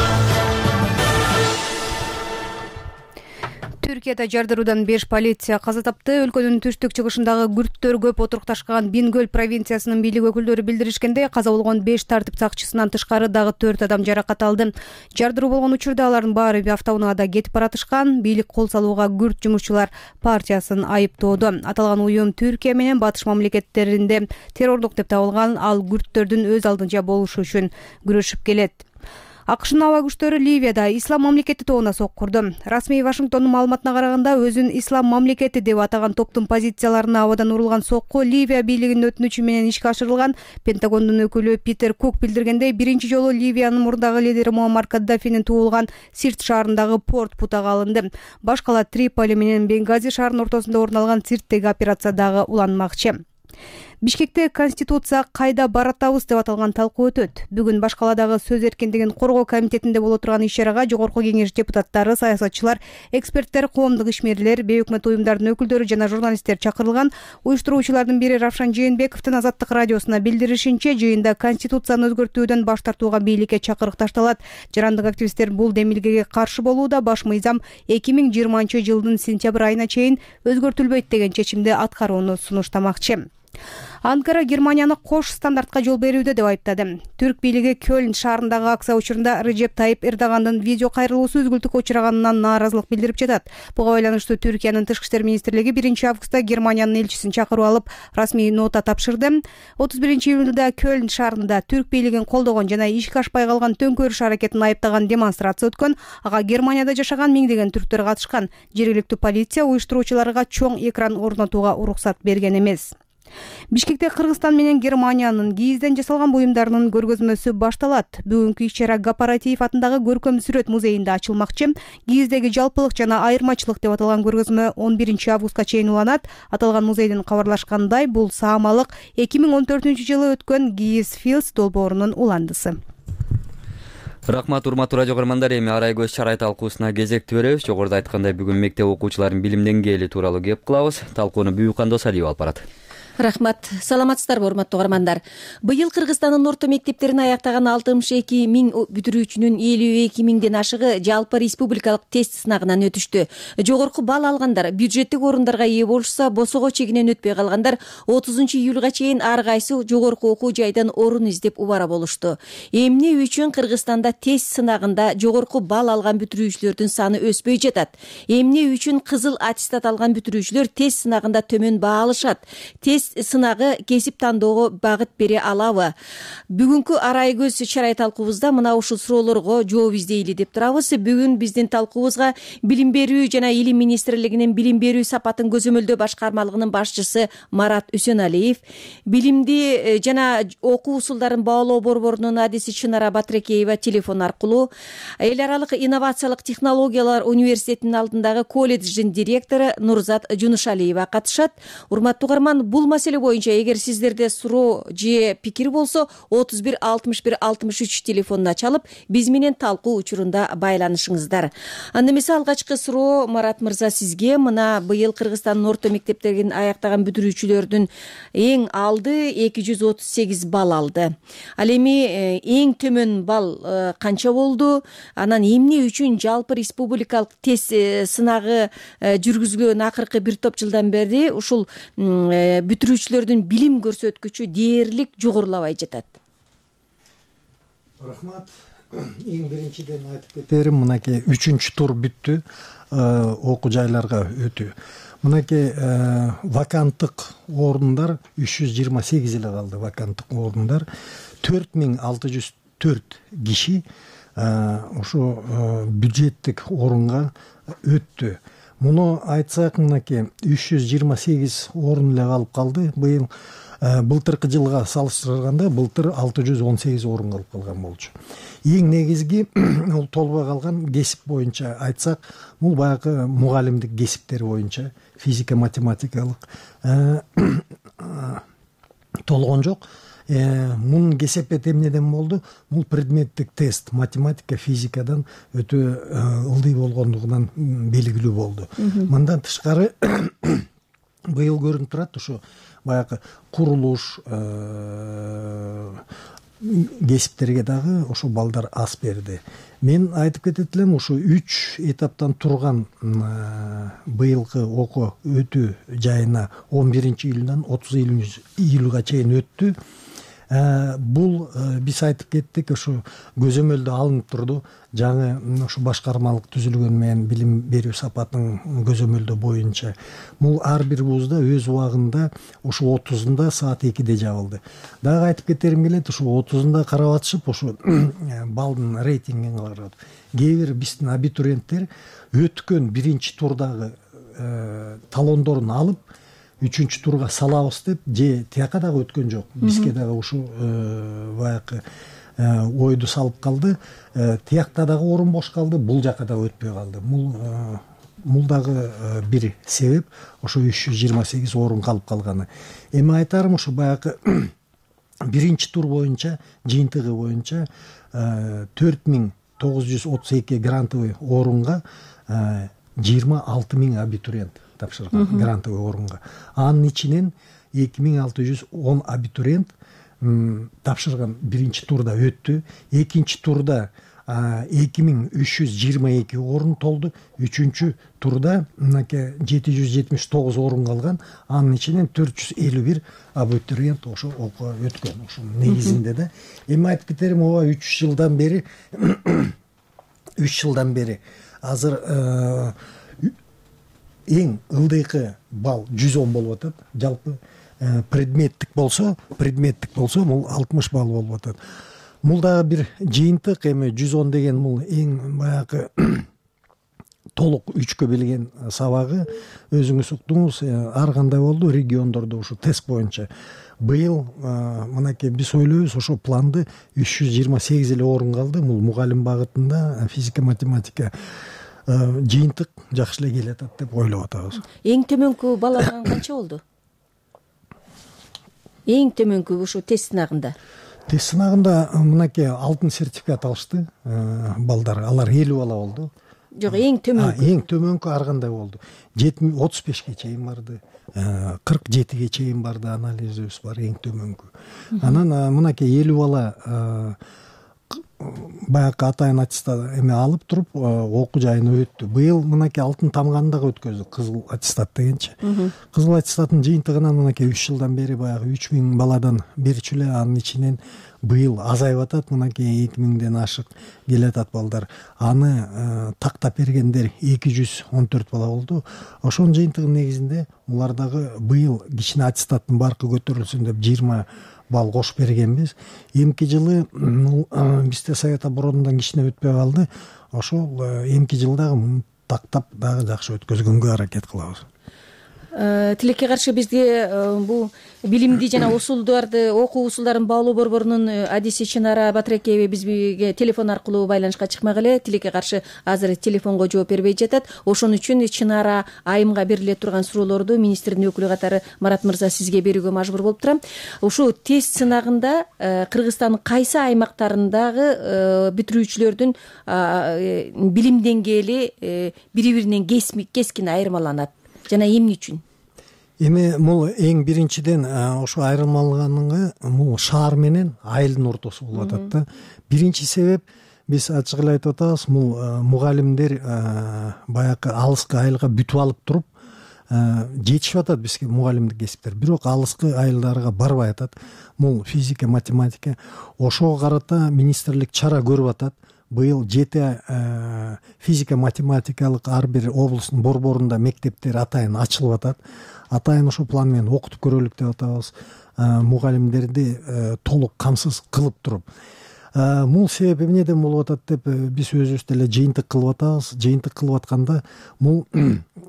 Түркияда жардыруудан беш полиция каза тапты. Өлкөнүн түштүк чыгышындагы күрттөр көп отурукташкан Бингөл провинциясынын бийлик өкүлдөрү билдиришкендей, каза болгон беш тартип сакчысынан тышкары дагы төрт адам жаракат алды. Жардыруу болгон учурда алардын баары автоунаада кетип баратышкан. Бийлик кол салууга күрт жумушчулар партиясын айыптоодо. Аталган уюм Түркия менен батыш мамлекеттеринде террорлук деп табылган ал күрттөрдүн өз алдынча болушу үчүн күрөшүп келет. АКШнын аба күчтөрү Ливияда ислам мамлекети тобуна сок курду. Расмий Вашингтондун маалыматына караганда, өзүн ислам мамлекети деп атаган топтун позицияларына абадан урулган сокку Ливия бийлигинин өтүнүчү менен ишке ашырылган. Пентагондун өкүлү Питер Кук билдиргендей, биринчи жолу Ливиянын мурдагы лидери Муаммар Каддафинин туулган Сирт шаарындагы порт бутага алынды. Башкала Триполи менен Бенгази шаарынын ортосунда орун алган Сирттеги операция дагы уланмакчы. Бишкекте Конституция кайда баратабыз деп аталган талкуу өтөт. Бүгүн Башкаладагы сөз эркиндигин коргоо комитетинде боло турган иш-чарага Жогорку Кеңеш депутаттары, саясатчылар, эксперттер, коомдук ишмерлер, бейөкмөт уюмдардын өкүлдөрү жана журналисттер чакырылган. Уюштуруучулардын бири Равшан Жээнбековдун Азаттык радиосуна билдиришинче, жыйында Конституцияны өзгөртүүдөн баш тартууга бийликке чакырык ташталат. Жарандык активисттер бул демилгеге каршы болууда. Баш мыйзам эки миң жыйырманчы жылдын сентябрь айына чейин өзгөртүлбөйт деген чечимди аткарууну сунуштамакчы. Анкара Германияны кош стандартка жол берүүдө деп айыптады. Түрк бийлиги Кёльн шаарындагы акция учурунда Режеп Тайип Эрдогандын видео кайрылуусу үзгүлтүккө учураганынан нааразылык билдирип жатат. Буга байланыштуу Түркиянын тышкы иштер министрлиги биринчи августта Германиянын элчисин чакырып алып, расмий нота тапшырды. отуз биринчи июнда Кёльн шаарында түрк бийлигин колдогон жана ишке ашпай калган төңкөрүш аракетин айыптаган демонстрация өткөн. Ага Германияда жашаган миңдеген түрктөр катышкан. Жергиликтүү полиция уюштуруучуларга чоң экран орнотууга уруксат берген эмес. Бишкекте Кыргызстан менен Германиянын кийизден жасалган буюмдарынын көргөзмөсү башталат. Бүгүнкү иш-чара Гапаратиев атындагы көркөм сүрөт музейинде ачылмакчы. Кийиздеги жалпылык жана айырмачылык деп аталган көргөзмө он биринчи августка чейин уланат. Аталган музейдин кабарлашкандай, бул саамалык эки миң он төртүнчү жылы өткөн Кийиз Филс долбоорунун уландысы. Рахмат, урматтуу радио көрөрмандар, эми Арай көз чарай талкуусуна кезекти беребиз. Жогоруда айткандай, бүгүн мектеп окуучуларынын билим деңгээли тууралуу кеп кылабыз. Талкууну Бүйүкан Досалиев алып барат. Рахмат. Саламатсыздарбы, урматтуу угармандар. Быйыл Кыргызстандын орто мектептерин аяктаган алтымыш эки миң бүтүрүүчүнүн элүү эки миңден ашыгы жалпы республикалык тест сынагынан өтүштү. Жогорку балл алгандар бюджеттик орундарга ээ болушса, босого чегинен өтпөй калгандар отузунчу июлга чейин ар кайсы жогорку окуу жайдан орун издеп убара болушту. Эмне үчүн Кыргызстанда тест сынагында жогорку балл алган бүтүрүүчүлөрдүн саны өспөй жатат? Эмне үчүн кызыл аттестат алган бүтүрүүчүлөр тест сынагында төмөн баа алышат? Тест сынагы кесип тандоого багыт бере алабы? Бүгүнкү Арай көз чарай талкуубузда мына ушул суроолорго жооп издейли деп турабыз. Бүгүн биздин талкуубузга Билим берүү жана Илим министрлигинин билим берүү сапатын көзөмөлдөө башкармалыгынын башчысы Марат Үсөналиев, билимди жана окуу усулдарын баалоо борборунун адиси Чынара Батырекеева телефон аркылуу, эл аралык инновациялык технологиялар университетинин алдындагы колледждин директору Нурзат Жунушалиева катышат. Урматтуу угарман, бул маселе боюнча эгер сиздерде суроо же пикир болсо отуз бир алтымыш бир алтымыш үч телефонуна чалып биз менен талкуу учурунда байланышыңыздар. Анда эмесе алгачкы суроо Марат мырза сизге. Мына быйыл Кыргызстандын орто мектептерин аяктаган бүтүрүүчүлөрдүн эң алды эки жүз отуз сегиз балл алды. Ал эми эң төмөн балл канча болду? Анан эмне үчүн жалпы республикалык тест сынагы жүргүзүлгөн акыркы бир топ жылдан бери ушул бүтүрүүчүлөрдүн билим көрсөткүчү дээрлик жогорулабай жатат? Рахмат. Эң биринчиден айтып кетерим, мынакей үчүнчү тур бүттү, окуу жайларга өтүү. Мынакей ваканттык орундар үч жүз жыйырма сегиз эле калды. Ваканттык орундар төрт миң алты жүз төрт киши ошо бюджеттик орунга өттү. Муну айтсак, мынакей үч жүз жыйырма сегиз орун эле калып калды. Быйыл былтыркы жылга салыштырганда былтыр алты жүз он сегиз орун калып калган болчу. Эң негизги ол толбой калган кесип боюнча айтсак, бул баягы мугалимдик кесиптер боюнча физика, математикалык толгон жок. Мунун кесепети эмнеден болду? Бул предметтик тест математика, физикадан өтө ылдый болгондугунан белгилүү болду. Мындан тышкары быйыл көрүнүп турат, ушу баягы курулуш кесиптерге дагы ошо балдар аз берди. Мен айтып кетет элем, ушу үч этаптан турган быйылкы окуу өтүү жайына он биринчи июлдан отуз июлга чейин өттү. Бул биз айтып кеттик, ошо көзөмөлдө алынып турду. Жаңы ошо башкармалык түзүлгөн менен билим берүү сапатынын көзөмөлдөө боюнча бул ар бир вузда өз убагында ошо отузунда саат экиде жабылды. Дагы айтып кетерим келет, ошо отузунда карап атышып, ошо балдын рейтингин карап. Кээ бир биздин абитуриенттер өткөн биринчи турдагы талондорун алып үчүнчү турга салабыз деп, же тияка дагы өткөн жок. Бизге дагы ушу баягы ойду салып калды. Тиякта дагы орун бош калды, бул жака дагы өтпөй калды. Бул бул дагы бир себеп, ошо үч жүз жыйырма сегиз орун калып калганы. Эми айтарым, ушу баягы биринчи тур боюнча, жыйынтыгы боюнча төрт миң тогуз жүз отуз эки грантовый орунга жыйырма алты миң абитуриент тапшырган грантовый орунга. Анын ичинен эки миң алты жүз он абитуриент тапшырган биринчи турда өттү. Экинчи турда эки миң үч жүз жыйырма эки орун толду. Үчүнчү турда мынакей жети жүз жетимиш тогуз орун калган. Анын ичинен төрт жүз элүү бир абитуриент ошо окууга өткөн. Ошо негизинде да. Эми айтып кетерим, ооба үч жылдан бери үч жылдан бери азыр эң ылдыйкы балл жүз он болуп атат. Жалпы предметтик болсо, предметтик болсо бул алтымыш балл болуп атат. Бул дагы бир жыйынтык. Эми жүз он деген бул эң баягы толук үчкө билген сабагы. Өзүңүз уктуңуз, ар кандай болду региондордо ушу тест боюнча. Быйыл мынакей биз ойлойбуз, ошо планды үч жүз жыйырма сегиз эле орун калды. Бул мугалим багытында физика, математика жыйынтык жакшы эле келатат деп ойлоп атабыз. Эң төмөнкү баллардан канча болду? Эң төмөнкү ушу тест сынагында? Тест сынагында мынакей алтын сертификат алышты балдар. Алар элүү бала болду. Жок, эң төмөнкү. Эң төмөнкү ар кандай болду. отуз бешке чейин барды, кырк жетиге чейин барды, анализибиз бар эң төмөнкү. Анан мынакей элүү бала баягы атайын аттестат эме алып туруп окуу жайына өттү. Быйыл мынакей алтын тамганы дагы өткөздү, кызыл аттестат дегенчи. Кызыл аттестаттын жыйынтыгынан мынакей үч жылдан бери баягы үч миң баладан берчү эле, анын ичинен быйыл азайып атат, мынакей эки миңден ашык келатат балдар. Аны тактап бергендер эки жүз он төрт бала болду. Ошонун жыйынтыгынын негизинде улар дагы быйыл кичине аттестаттын баркы көтөрүлсүн деп жыйырма балл кошуп бергенбиз. Эмки жылы бизде совет оборонунан кичине өтпөй калды. Ошол эмки жылдагы тактап дагы жакшы өткөзгөнгө аракет кылабыз. Тилекке каршы бизде бул билимди жана усулдарды окуу усулдарын баалоо борборунун адиси Чынара Батыракеева бизге телефон аркылуу байланышка чыкмак эле. Тилекке каршы азыр телефонго жооп бербей жатат. Ошон үчүн Чынара айымга бериле турган суроолорду министрдин өкүлү катары Марат мырза сизге берүүгө мажбур болуп турам. Ушул тест сынагында Кыргызстандын кайсы аймактарындагы бүтүрүүчүлөрдүн билим деңгээли бири биринен кескин айырмаланат жана эмне үчүн? Эми бул эң биринчиден ошо айырмаланганга бул шаар менен айылдын ортосу болуп атат да. Биринчи себеп биз ачык эле айтып атабыз, бул мугалимдер баягы алыскы айылга бүтүп алып туруп жетишип атат бизге мугалимдик кесиптер, бирок алыскы айылдарга барбай атат. Бул физика, математика. Ошого карата министрлик чара көрүп атат. Быйыл жети физика математикалык ар бир облустун борборунда мектептер атайын ачылып атат. Атайын ошол план менен окутуп көрөлүк деп атабыз. Мугалимдерди толук камсыз кылып туруп. Бул себеп эмнеден болуп атат деп биз өзүбүз деле жыйынтык кылып атабыз. Жыйынтык кылып атканда бул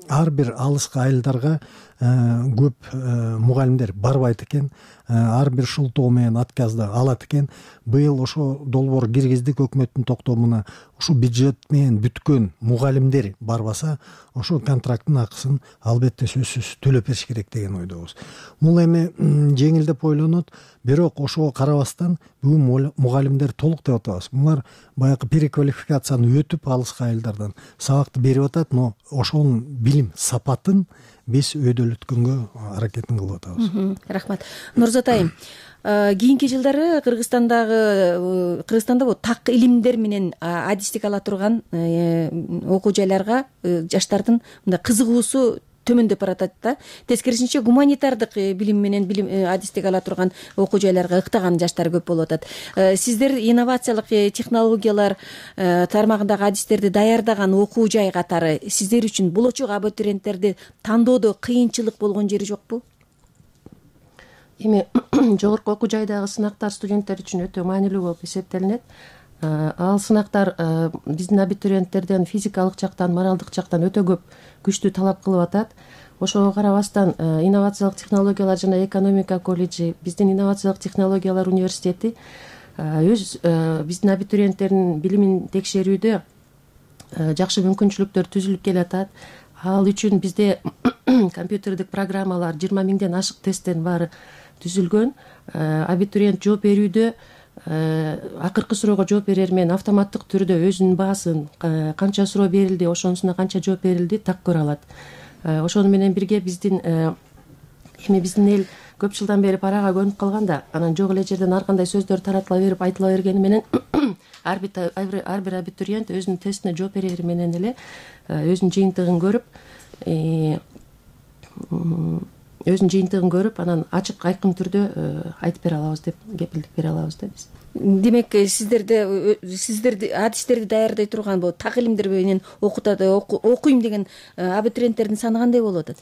ар бир алыскы айылдарга көп мугалимдер барбайт экен. Ар бир шултоо менен отказды алат экен. Быйыл ошо долбоор киргиздик өкмөттүн токтомуна. Ушу бюджет менен бүткөн мугалимдер барбаса, ошо контракттын акысын албетте сөзсүз төлөп бериш керек деген ойдобуз. Бул эми жеңилдеп ойлонот, бирок ошого карабастан бүгүн мугалимдер толук деп атабыз. Булар баягы переквалификацияны өтүп алыскы айылдардан сабакты берип атат, но ошонун билим сапатын биз өйдөлөткөнгө аракетин кылып атабыз. Рахмат. Нурзат айым, кийинки жылдары Кыргызстандагы Кыргызстанда бул так илимдер менен адистик ала турган окуу жайларга жаштардын мындай кызыгуусу төмөндөп баратат да. Тескерисинче гуманитардык билим менен билим адистик ала турган окуу жайларга ыктаган жаштар көп болуп атат. Сиздер инновациялык технологиялар тармагындагы адистерди даярдаган окуу жай катары сиздер үчүн болочок абитуриенттерди тандоодо кыйынчылык болгон жери жокпу? Эми жогорку окуу жайдагы сынактар студенттер үчүн өтө маанилүү болуп эсептелинет. Ал сынактар биздин абитуриенттерден физикалык жактан, моралдык жактан өтө көп күчтүү талап кылып атат. Ошого карабастан инновациялык технологиялар жана экономика колледжи, биздин инновациялык технологиялар университети өз биздин абитуриенттердин билимин текшерүүдө жакшы мүмкүнчүлүктөр түзүлүп келатат. Ал үчүн бизде компьютердик программалар жыйырма миңден ашык тесттин баары түзүлгөн. Абитуриент жооп берүүдө акыркы суроого жооп берер менен автоматтык түрдө өзүнүн баасын, канча суроо берилди, ошонусуна канча жооп берилди так көрө алат. Ошону менен бирге биздин эми биздин эл көп жылдан бери парага көнүп калганда, анан жок эле жерден ар кандай сөздөр таратыла берип, айтыла бергени менен ар бир абитуриент өзүнүн тестине жооп берери менен эле өзүнүн жыйынтыгын көрүп, өзүнүн жыйынтыгын көрүп, анан ачык айкын түрдө айтып бере алабыз деп кепилдик бере алабыз да биз. Демек, сиздерде сиздерди адистерди даярдай турган бул так илимдер менен окутат, окуйм деген абитуриенттердин саны кандай болуп атат?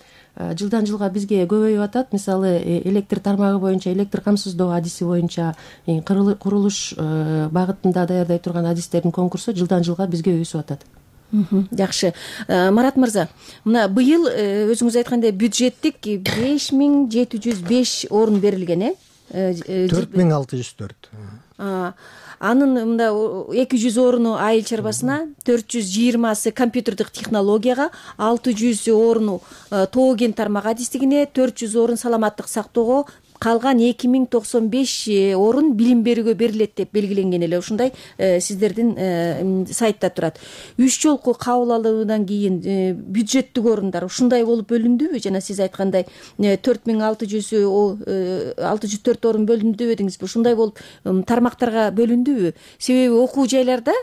Жылдан жылга бизге көбөйүп атат. Мисалы, электр тармагы боюнча, электр камсыздоо адиси боюнча курулуш багытында даярдай турган адистердин конкурсу жылдан жылга бизге өсүп атат. Жакшы. Марат мырза, мына быйыл өзүңүз айткандай бюджеттик беш миң жети жүз беш орун берилген, э? төрт миң алты жүз төрт. Анын мында эки жүз орunu айыл чарбасына, төрт жүз жыйырмасы компьютердик технологияга, алты жүз орunu тоо кен тармак адистигине, төрт жүз орун саламаттык сактоого, калган эки миң токсон беш орун билим берүүгө берилет деп белгиленген эле. Ушундай сиздердин сайтта турат. Үч жолку кабыл алуудан кийин бюджеттик орундар ушундай болуп бөлүндүбү? Жана сиз айткандай төрт миң алты жүз төрт орун бөлүндү дедиңизби? Ушундай болуп тармактарга бөлүндүбү? Себеби окуу жайларда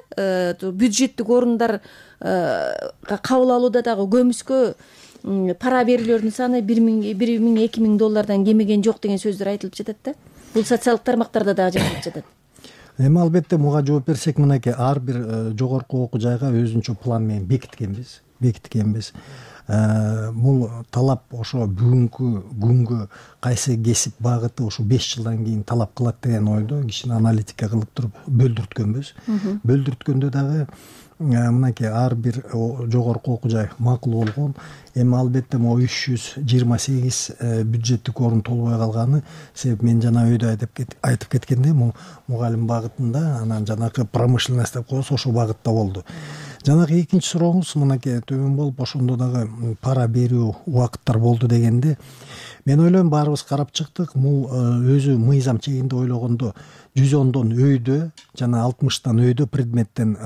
бюджеттик орундар кабыл алууда дагы көмүскө пара берүүлөрдүн саны бир миң эки миң доллардан кемеген жок деген сөздөр айтылып жатат да. Бул социалдык тармактарда дагы жазылып жатат. Эми албетте буга жооп берсек, мынакей ар бир жогорку окуу жайга өзүнчө план менен бекиткенбиз. Бекиткенбиз. Бул талап ошо бүгүнкү күнгө кайсы кесип багыты ошо беш жылдан кийин талап кылат деген ойдо кичине аналитика кылып туруп бөлдүрткөнбүз. Бөлдүрткөндө дагы мынакей ар бир жогорку окуу жай макул болгон. Эми албетте могу үч жүз жыйырма сегиз бюджеттик орун толбой калганы себеп мен жана өйдө айтып кеткенде мугалим багытында, анан жанагы промышленность деп коебуз, ошол багытта болду. Жанагы экинчи сурооңуз мынакей төмөн болуп, ошондо дагы пара берүү убакыттар болду дегенде, мен ойлойм баарыбыз карап чыктык. Бул өзү мыйзам чегинде ойлогондо жүз ондон өйдө жана алтымыштан өйдө предметтен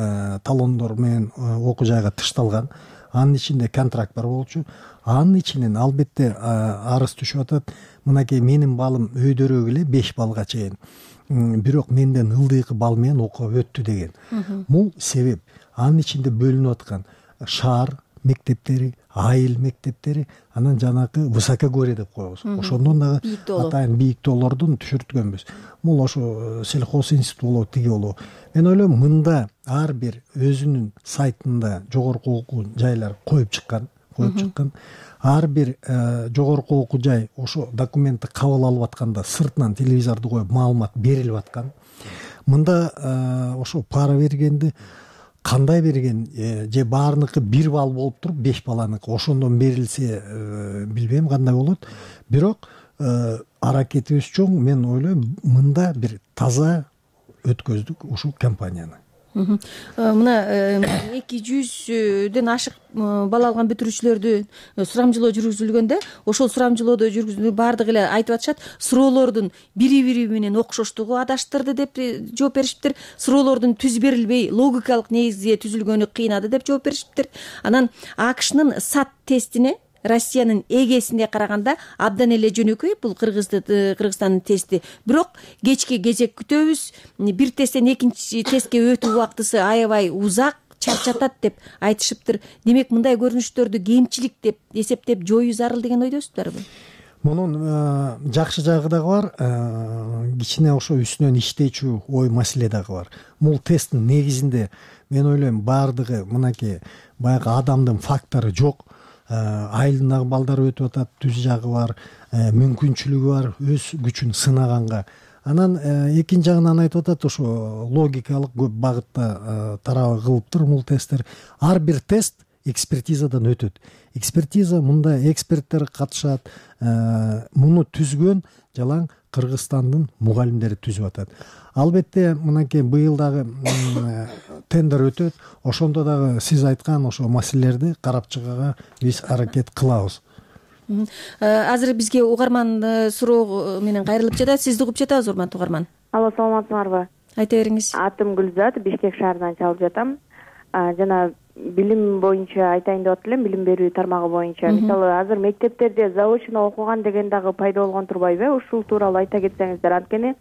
талондор менен окуу жайга тышталган. Анын ичинде контракт бар болчу. Анын ичинен албетте арыз түшүп атат. Мынакей менин балым өйдөрөөк эле беш балга чейин, бирок менден ылдыйкы бал менен окуп өттү деген. Бул себеп. Анын ичинде бөлүнүп аткан шаар мектептери, айыл мектептери, анан жанагы высокогорье деп коебуз. Ошондон дагы атайын бийиктоолордун түшүрткөнбүз. Бул ошо сельхоз институт болобу, тиги болобу. Мен ойлойм, мында ар бир өзүнүн сайтында жогорку окуу жайлар коюп чыккан, коюп чыккан. Ар бир жогорку окуу жай ошо документти кабыл алып атканда сыртынан телевизорду коюп маалымат берилип аткан. Мында ошо пара бергенди кандай берген, же баарыныкы бир балл болуп туруп беш баланыкы ошондон берилсе билбейм кандай болот. Бирок аракетибиз чоң. Мен ойлойм, мында бир таза өткөздүк ушул компанияны. Мына эки жүздөн ашык балл алган бүтүрүүчүлөрдү сурамжылоо жүргүзүлгөндө, ошол сурамжылоодо жүргүзүлгөн баардыгы эле айтып атышат, суроолордун бири бири менен окшоштугу адаштырды деп жооп беришиптир. Суроолордун түз берилбей логикалык негизде түзүлгөнү кыйнады деп жооп беришиптир. Анан АКШнын сат тестине Россиянын эгесине караганда абдан эле жөнөкөй бул Кыргызстандын тести. Бирок кечке кезек күтөбүз. Бир тесттен экинчи тестке өтүү убактысы аябай узак, чарчатат деп айтышыптыр. Демек, мындай көрүнүштөрдү кемчилик деп эсептеп жоюу зарыл деген ойдосуздарбы? Мунун жакшы жагы дагы бар, кичине ошо үстүнөн иштечү ой маселе дагы бар. Бул тесттин негизинде мен ойлойм баардыгы мынакей баягы адамдын фактору жок. Айылдагы балдар өтүп атат, түз жагы бар, мүмкүнчүлүгү бар, өз күчүн сынаганга. Анан экинчи жагынан айтып атат, ошо логикалык көп багытта тарабы кылыптыр бул тесттер. Ар бир тест экспертизадан өтөт. Экспертиза мында эксперттер катышат. Муну түзгөн жалаң Кыргызстандын мугалимдери түзүп атат. Албетте, мынакей быйыл дагы тендер өтөт. Ошондо дагы сиз айткан ошо маселелерди карап чыгууга биз аракет кылабыз. Азыр бизге угарман суроо менен кайрылып жатат. Сизди угуп жатабыз, урматтуу угарман. Алло, саламатсыңарбы? Айта бериңиз. Атым Гүлзат, Бишкек шаарынан чалып жатам. Жана билим боюнча айтайын деп атып элем, билим берүү тармагы боюнча. Мисалы, азыр мектептерде заочно окуган деген дагы пайда болгон турбайбы? Ушул тууралуу айта кетсеңиздер. Анткени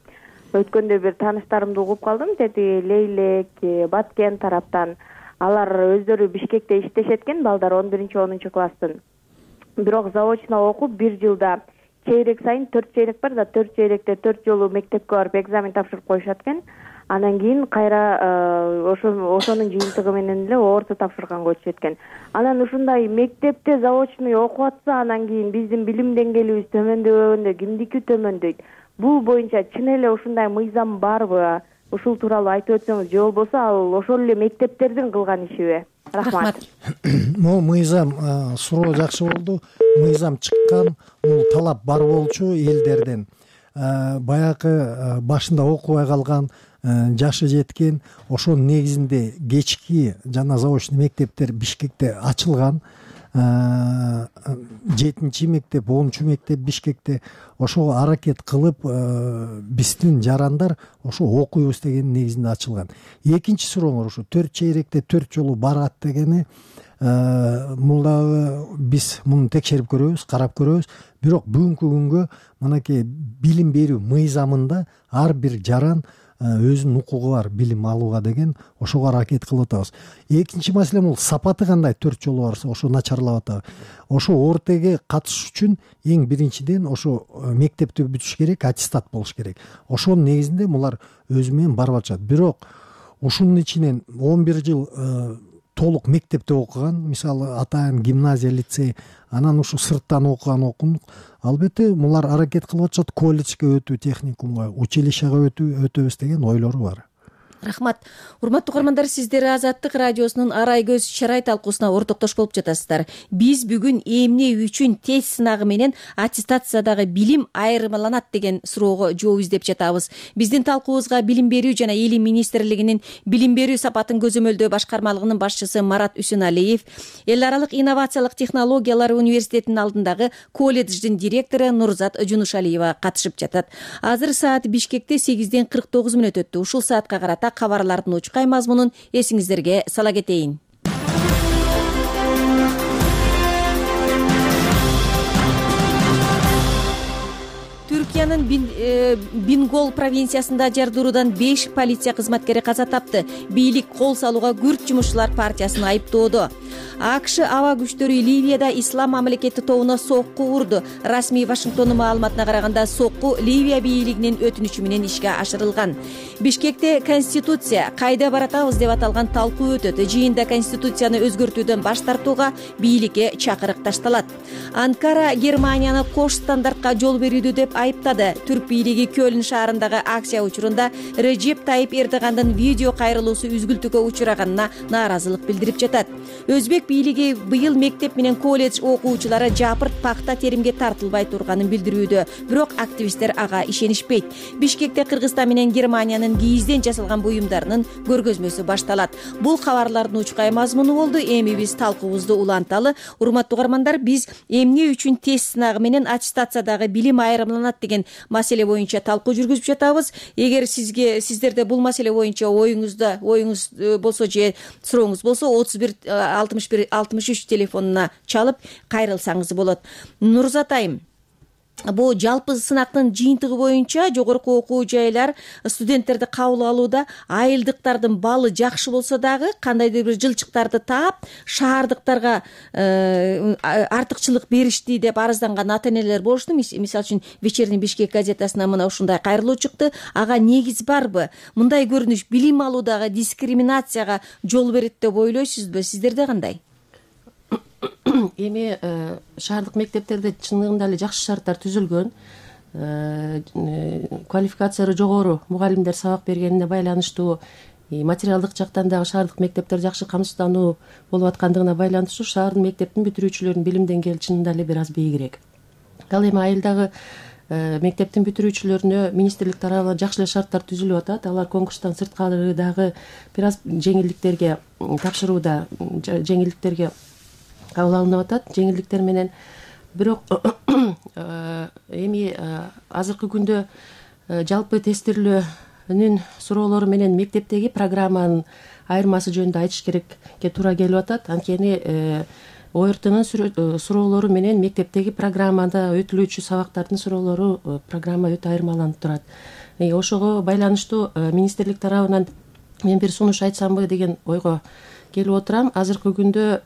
өткөндө бир тааныштарымды угуп калдым, деди Лейлек, Баткен тараптан. Алар өздөрү Бишкекте иштешет экен, балдар он биринчи онунчу класстын. Бирок заочно окуп бир жылда чейрек сайын төрт чейрек бар да, төрт чейректе төрт жолу мектепке барып экзамен тапшырып коюшат экен. Анан кийин кайра ошо ошонун жыйынтыгы менен эле орто тапшырганга өтүшөт экен. Анан ушундай мектепте заочный окуп атса, анан кийин биздин билим деңгээлибиз төмөндөбөгөндө кимдики төмөндөйт? Бул боюнча чын эле ушундай мыйзам барбы? Ушул тууралуу айтып өтсөңүз, же болбосо ал ошол эле мектептердин кылган ишиби? Рахмат. Могу мыйзам суроо жакшы болду. Мыйзам чыккан, бул талап бар болчу элдерден. Баягы башында окубай калган, жашы жеткен, ошонун негизинде кечки жана заочный мектептер Бишкекте ачылган. жетинчи мектеп, онунчу мектеп Бишкекте. Ошого аракет кылып биздин жарандар ошо окуйбуз деген негизинде ачылган. Экинчи сурооңор ушу төрт чейректе төрт жолу барат дегени, бул дагы биз муну текшерип көрөбүз, карап көрөбүз. Бирок бүгүнкү күнгө мынакей билим берүү мыйзамында ар бир жаран өзүнүн укугу бар билим алууга деген, ошого аракет кылып атабыз. Экинчи маселе бул сапаты кандай төрт жолу барса, ошо начарлап атабы. Ошо ортеге катышыш үчүн эң биринчиден ошо мектепти бүтүш керек, аттестат болуш керек. Ошонун негизинде булар өзү менен барып атышат. Бирок ушунун ичинен он бир жыл толук мектепте окуган, мисалы атайын гимназия, лицей, анан ушу сырттан окуган окундук. Албетте булар аракет кылып атышат колледжге өтүү, техникумга, училищага өтүү, өтөбүз деген ойлору бар. Рахмат. Урматтуу угармандар, сиздер Азаттык радиосунун Арай көз чарай талкуусуна ортоктош болуп жатасыздар. Биз бүгүн эмне үчүн тест сынагы менен аттестациядагы билим айырмаланат деген суроого жооп издеп жатабыз. Биздин талкуубузга Билим берүү жана Илим министрлигинин Билим берүү сапатын көзөмөлдөө башкармалыгынын башчысы Марат Үсеналиев, Эл аралык инновациялык технологиялар университетинин алдындагы колледждин директору Нурзат Жунушалиева катышып жатат. Азыр саат Бишкекте сегизден кырк тогуз мүнөт өттү. Ушул саатка карата кабарлардын учкай мазмунун эсиңиздерге сала кетейин. Түркиянын Бингол провинциясында жардыруудан беш полиция кызматкери каза тапты. Бийлик кол салууга күрт жумушчулар партиясын айыптоодо. АКШ аба күчтөрү Ливияда ислам мамлекети тобуна сокку урду. Расмий Вашингтондун маалыматына караганда сокку Ливия бийлигинин өтүнүчү менен ишке ашырылган. Бишкекте Конституция кайда баратабыз деп аталган талкуу өтөт. Жыйында Конституцияны өзгөртүүдөн баш тартууга бийликке чакырык ташталат. Анкара Германияны кош стандартка жол берүүдө деп айыптады. Түрк бийлиги Көлн шаарындагы акция учурунда Режеп Тайип Эрдогандын видео кайрылуусу үзгүлтүүгө учураганына нааразылык билдирип жатат. Өзбек бийлиги быйыл мектеп менен колледж окуучулары жапырт пакта теримге тартылбай турганын билдирүүдө, бирок активисттер ага ишенишпейт. Бишкекте Кыргызстан менен Германиянын кийизден жасалган буюмдарынын көргөзмөсү башталат. Бул кабарлардын учкай мазмуну болду. Эми биз талкуубузду уланталы. Урматтуу угармандар, биз эмне үчүн тест сынагы менен аттестациядагы билим айырмаланат деген маселе боюнча талкуу жүргүзүп жатабыз. Эгер сизге сиздерде бул маселе боюнча оюңузда оюңуз болсо же сурооңуз болсо отуз бир алтымыш бир алтымыш үч телефонуна чалып кайрылсаңыз болот. Нурзат айым, бул жалпы сынактын жыйынтыгы боюнча жогорку окуу жайлар студенттерди кабыл алууда айылдыктардын балы жакшы болсо дагы кандайдыр бир жылчыктарды таап шаардыктарга артыкчылык беришти деп арызданган ата энелер болушту. Мисалы үчүн Вечерний Бишкек газетасына мына ушундай кайрылуу чыкты. Ага негиз барбы? Мындай көрүнүш билим алуудагы дискриминацияга жол берет деп ойлойсузбу? Сиздерде кандай? Эми шаардык мектептерде чындыгында эле жакшы шарттар түзүлгөн. Квалификациясы жогору мугалимдер сабак бергенине байланыштуу, материалдык жактан дагы шаардык мектептер жакшы камсыздануу болуп аткандыгына байланыштуу шаардын мектептин бүтүрүүчүлөрүнүн билим деңгээли чынында эле бир аз бийигирээк. Ал эми айылдагы мектептин бүтүрүүчүлөрүнө министрлик тарабынан жакшы эле шарттар түзүлүп атат. Алар конкурстан сырткары дагы бир аз жеңилдиктерге тапшырууда, жеңилдиктерге кабыл алынып атат, жеңилдиктер менен. Бирок эми азыркы күндө жалпы тестирлөөнүн суроолору менен мектептеги программанын айырмасы жөнүндө айтыш керекке туура келип атат. Анткени ОРТнын суроолору менен мектептеги программада өтүлүүчү сабактардын суроолору программа өтө айырмаланып турат. Ошого байланыштуу министрлик тарабынан мен бир сунуш айтсамбы деген ойго келип отурам. Азыркы күндө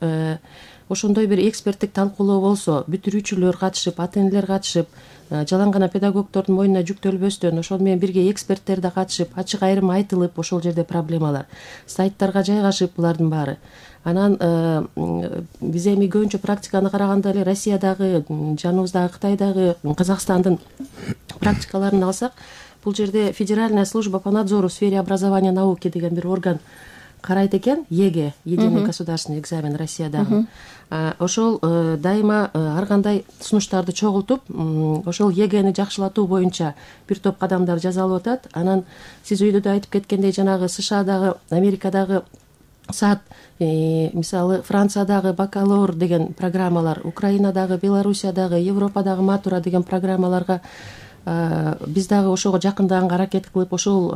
ошондой бир эксперттик талкуулоо болсо, бүтүрүүчүлөр катышып, ата энелер катышып, жалаң гана педагогдордун мойнуна жүктөлбөстөн, ошол менен бирге эксперттер да катышып, ачык айрым айтылып, ошол жерде проблемалар сайттарга жайгашып, булардын баары. Анан биз эми көбүнчө практиканы караганда эле Россиядагы, жаныбыздагы Кытайдагы, Казакстандын практикаларын алсак, бул жерде Федеральная служба по надзору в сфере образования и науки деген бир орган карайт экен. ЕГЭ, единый государственный экзамен Россиядагы. Ошол дайыма ар кандай сунуштарды чогултуп, ошол ЕГЭни жакшылатуу боюнча бир топ кадамдар жасалып атат. Анан сиз өйдө да айтып кеткендей, жанагы СШАдагы, Америкадагы саат, мисалы Франциядагы бакалавр деген программалар, Украинадагы, Белоруссиядагы, Европадагы матура деген программаларга биз дагы ошого жакындаганга аракет кылып, ошол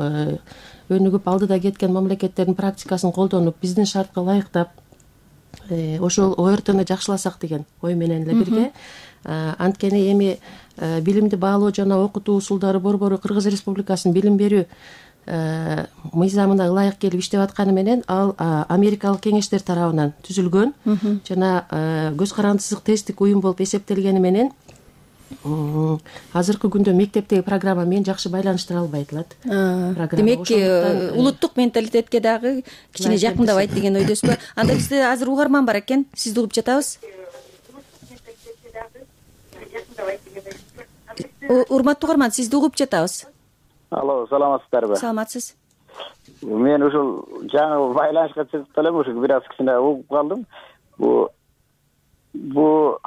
өнүгүп алдыда кеткен мамлекеттердин практикасын колдонуп, биздин шартка ылайыктап, ошол ОРТны жакшыласак деген ой менен эле бирге. Анткени эми билимди баалоо жана окутуу усулдары борбору Кыргыз Республикасынын билим берүү мыйзамына ылайык келип иштеп атканы менен, ал Америкалык кеңештер тарабынан түзүлгөн жана көз карандысыздык тесттик уюм болуп эсептелгени менен азыркы күндө мектептеги программа менен жакшы байланыштыра албай атылат. Демек, улуттук менталитетке дагы кичине жакындабайт деген ойдосузбу? Анда бизде азыр угарман бар экен, сизди угуп жатабыз. Урматтуу угарман, сизди угуп жатабыз. Алло, саламатсыздарбы? Саламатсыз. мен ушул жаңы байланышка чыгып элем, ушул бир аз кичине угуп калдым. Бу бу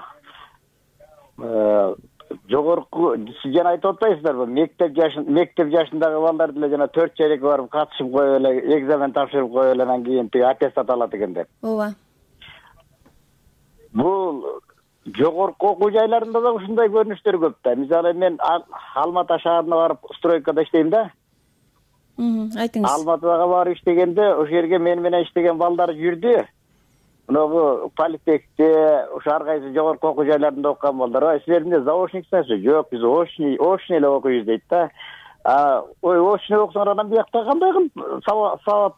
жогорку жана айтып атпайсыздарбы, мектеп жашын мектеп жашындагы балдар деле жана төрт чейрекке барып катышып коюп эле, экзамен тапшырып коюп эле, анан кийин тиги аттестат алат экен деп. ооба. Бул жогорку окуу жайларында да ушундай көрүнүштөр көп да. Мисалы мен Алматы шаарына барып стройкада иштейм да. Айтыңыз. Алматыга барып иштегенде ошол жерге мен менен иштеген балдар жүрдү. Мынабу политехте, ошо ар кайсы жогорку окуу жайларында окуган балдар, ой, силерде заочниксизби? Жок, биз очный, очный эле окуйбуз дейт да. А, ой, очный окусаңар анан биякта кандай кылып сабак сабак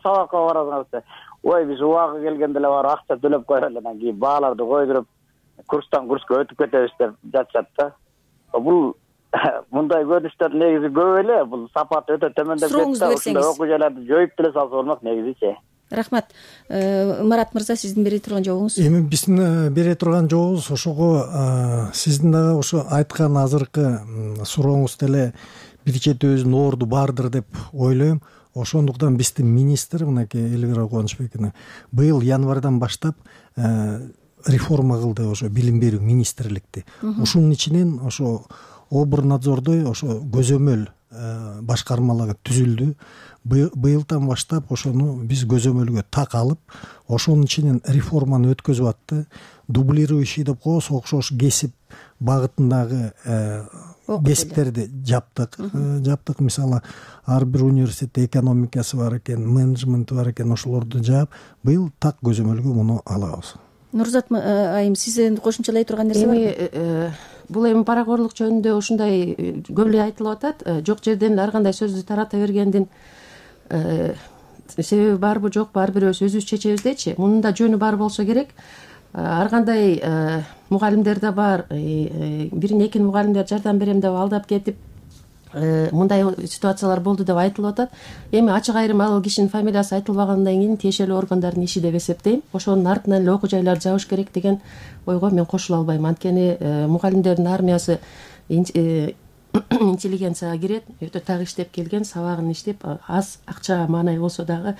сабакка барасыңар? Ой, биз убагы келгенде эле барып акча төлөп коелу, анан кийин бааларды койдуруп курстан курска өтүп кетебиз деп жатышат да. Бул мындай көрүнүштөр негизи көп эле, бул сапат өтө төмөндөп кетти. Ушундай окуу жайларды жоюп деле салса болмок негизичи. Рахмат. Марат мырза, сиздин бере турган жообуңуз? Эми биздин бере турган жообубуз ошого сиздин дагы ошо айткан азыркы сурооңуз деле бир чети өзүнүн орду бардыр деп ойлойм. Ошондуктан биздин министр мынакей Элвира Кубанычбековна быйыл январдан баштап реформа кылды ошо билим берүү министрликти. Ушунун ичинен ошо Оборнадзордой ошо көзөмөл башкармалары түзүлдү. Быйылдан баштап ошону биз көзөмөлгө так алып, ошонун ичинен реформаны өткөзүп атты. Дублирующий деп коебуз, окшош кесип багытындагы кесиптерди жаптык. Жаптык, мисалы, ар бир университетте экономикасы бар экен, менеджменти бар экен, ошолорду жаап, быйыл так көзөмөлгө муну алабыз. Нурзат айым, сиздин кошумчалай турган нерсе барбы? Бул эми паракорлук жөнүндө ушундай көп эле айтылып атат. Жок жерден ар кандай сөздү тарата бергендин себеби барбы жокпу, ар бирөөбүз өзүбүз чечебиз дейчи. Мунун да жөнү бар болсо керек. Ар кандай мугалимдер да бар. Бирин экин мугалимдер жардам берем деп алдап кетип, мындай ситуациялар болду деп айтылып атат. Эми ачык айрым ал кишинин фамилиясы айтылбагандан кийин тиешелүү органдардын иши деп эсептейм. Ошонун артынан эле окуу жайларды жабыш керек деген ойго мен кошула албайм. Анткени мугалимдердин армиясы интеллигенцияга кирет, өтө так иштеп келген, сабагын иштеп, аз акча маанай болсо дагы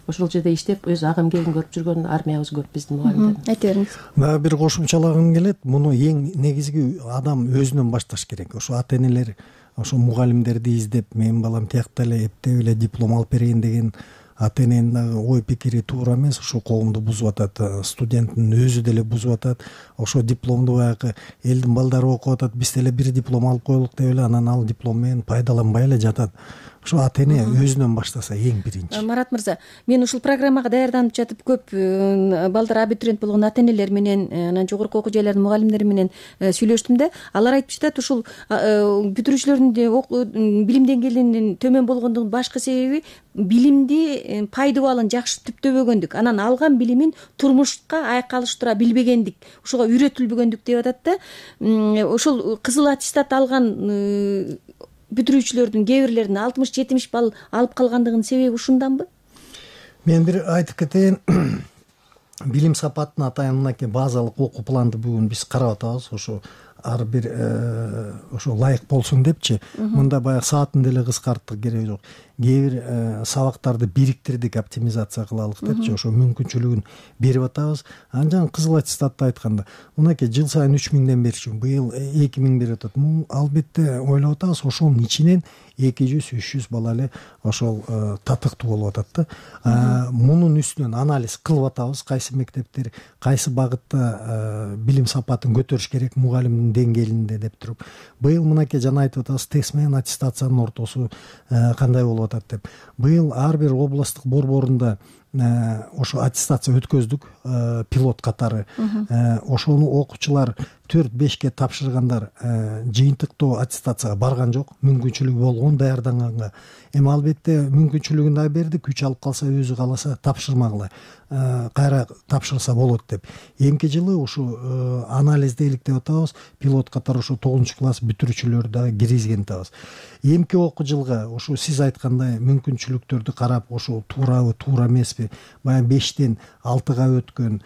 ошол жерде иштеп, өз агым келин көрүп жүргөн армиябыз көп биздин мугалимдер. Айта бериңиз. Дагы бир кошумчалагым келет. Муну эң негизги адам өзүнөн башташ керек. Ошо ата энелер ошо мугалимдерди издеп, менин балам тиякта эле эптеп эле диплом алып берейин деген ата эненин дагы ой пикири туура эмес. Ошо коомду бузуп атат, студенттин өзү деле бузуп атат. Ошо дипломду баягы элдин балдары окуп атат, биз деле бир диплом алып коелук деп эле анан ал диплом менен пайдаланбай эле жатат. Ошо ата эне өзүнөн баштаса эң биринчи. Марат мырза, мен ушул программага даярданып жатып көп балдар абитуриент болгон ата энелер менен, анан жогорку окуу жайлардын мугалимдери менен сүйлөштүм да. Алар айтып жатат, ушул бүтүрүүчүлөрдүн билим деңгээлинин төмөн болгондугунун башкы себеби билимди пайдубалын жакшы түптөбөгөндүк, анан алган билимин турмушка айкалыштыра билбегендик, ушуга үйрөтүлбөгөндүк деп атат да. Ошол кызыл аттестат алган бүтүрүүчүлөрдүн кээ бирлеринин алтымыш жетимиш балл алып калгандыгынын себеби ушунданбы? Мен бир айтып кетейин. Билим сапатын атайын мынакей базалык окуу планды бүгүн биз карап атабыз. Ошо ар бир ошо ылайык болсун депчи. Мында баягы саатын деле кыскарттык, кереги жок. Кээ бир сабактарды бириктирдик, оптимизация кылалык депчи, ошо мүмкүнчүлүгүн берип атабыз. Анан кызыл аттестатты айтканда, мынакей жыл сайын үч миңден берчү, быйыл эки миң берип атат. Мун албетте ойлоп атабыз, ошонун ичинен эки жүз үч жүз бала эле ошол татыктуу болуп атат да. Мунун үстүнөн анализ кылып атабыз, кайсы мектептер кайсы багытта билим сапатын көтөрүш керек мугалимдин деңгээлинде деп туруп. Быйыл мынакей жана айтып атабыз, тест менен аттестациянын ортосу кандай болуп атат деп. Быйыл ар бир областтык борборунда ошо аттестация өткөздүк, пилот катары. Ошону окуучулар төрт бешке тапшыргандар жыйынтыктоо аттестацияга барган жок, мүмкүнчүлүгү болгон даярданганга. Эми албетте мүмкүнчүлүгүн да бердик, күч алып калса, өзү кааласа тапшырмагыла, кайра тапшырса болот деп. Эмки жылы ушу анализди иликтеп атабыз, пилот катары ошо тогузунчу класс бүтүрүүчүлөрдү дагы киргизген атабыз. Эмки окуу жылга ошо сиз айткандай мүмкүнчүлүктөрдү карап, ошо туурабы, туура эмеспи, баягы бештен алтыга өткөн,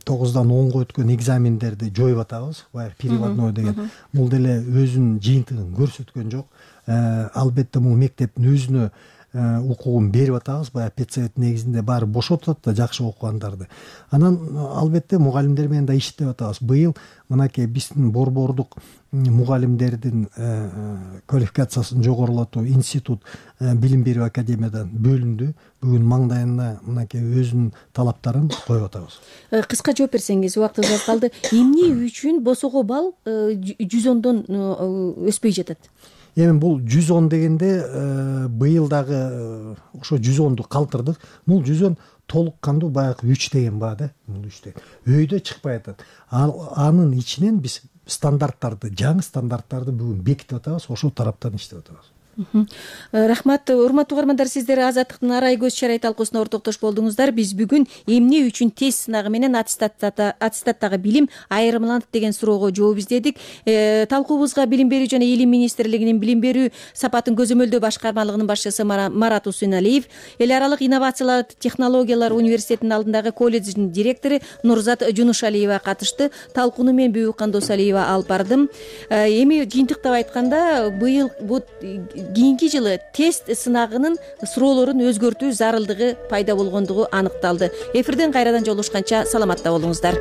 тогуздан онго өткөн экзамендерди жоюп атабыз, баягы переводной деген. Бул деле өзүнүн жыйынтыгын көрсөткөн жок. Албетте бул мектептин өзүнө укугун берип атабыз. Баягы педсовет негизинде баары бошотуп атат да жакшы окугандарды. Анан албетте мугалимдер менен да иштеп атабыз. Быйыл мынакей биздин борбордук мугалимдердин квалификациясын жогорулатуу институт билим берүү академиядан бөлүндү. Бүгүн маңдайына мынакей өзүнүн талаптарын коюп атабыз. Кыска жооп берсеңиз, убактыбыз аз калды. Эмне үчүн босого балл жүз ондон өспөй жатат? Эми бул жүз он дегенде быйыл дагы ошо жүз онду калтырдык. Бул жүз он толук кандуу баягы үч деген баа да. Бул үч деген. Өйдө чыкпай атат. Анын ичинен биз стандарттарды, жаңы стандарттарды бүгүн бекитип атабыз, ошол тараптан иштеп атабыз. Рахмат. Урматтуу угармандар, сиздер Азаттыктын арай көз чарай талкуусуна ортоктош болдуңуздар. Биз бүгүн эмне үчүн тест сынагы менен аттестаттагы билим айырмаланат деген суроого жооп издедик. Талкуубузга Билим берүү жана Илим министрлигинин Билим берүү сапатын көзөмөлдөө башкармалыгынын башчысы Марат Усуналиев, Эл аралык инновациялар технологиялар университетинин алдындагы колледждин директору Нурзат Жунушалиева катышты. Талкууну мен Бүбүкан Досалиева алып бардым. Эми жыйынтыктап айтканда, быйыл бул кийинки жылы тест сынагынын суроолорун өзгөртүү зарылдыгы пайда болгондугу аныкталды. Эфирден кайрадан жолугушканча саламатта болуңуздар.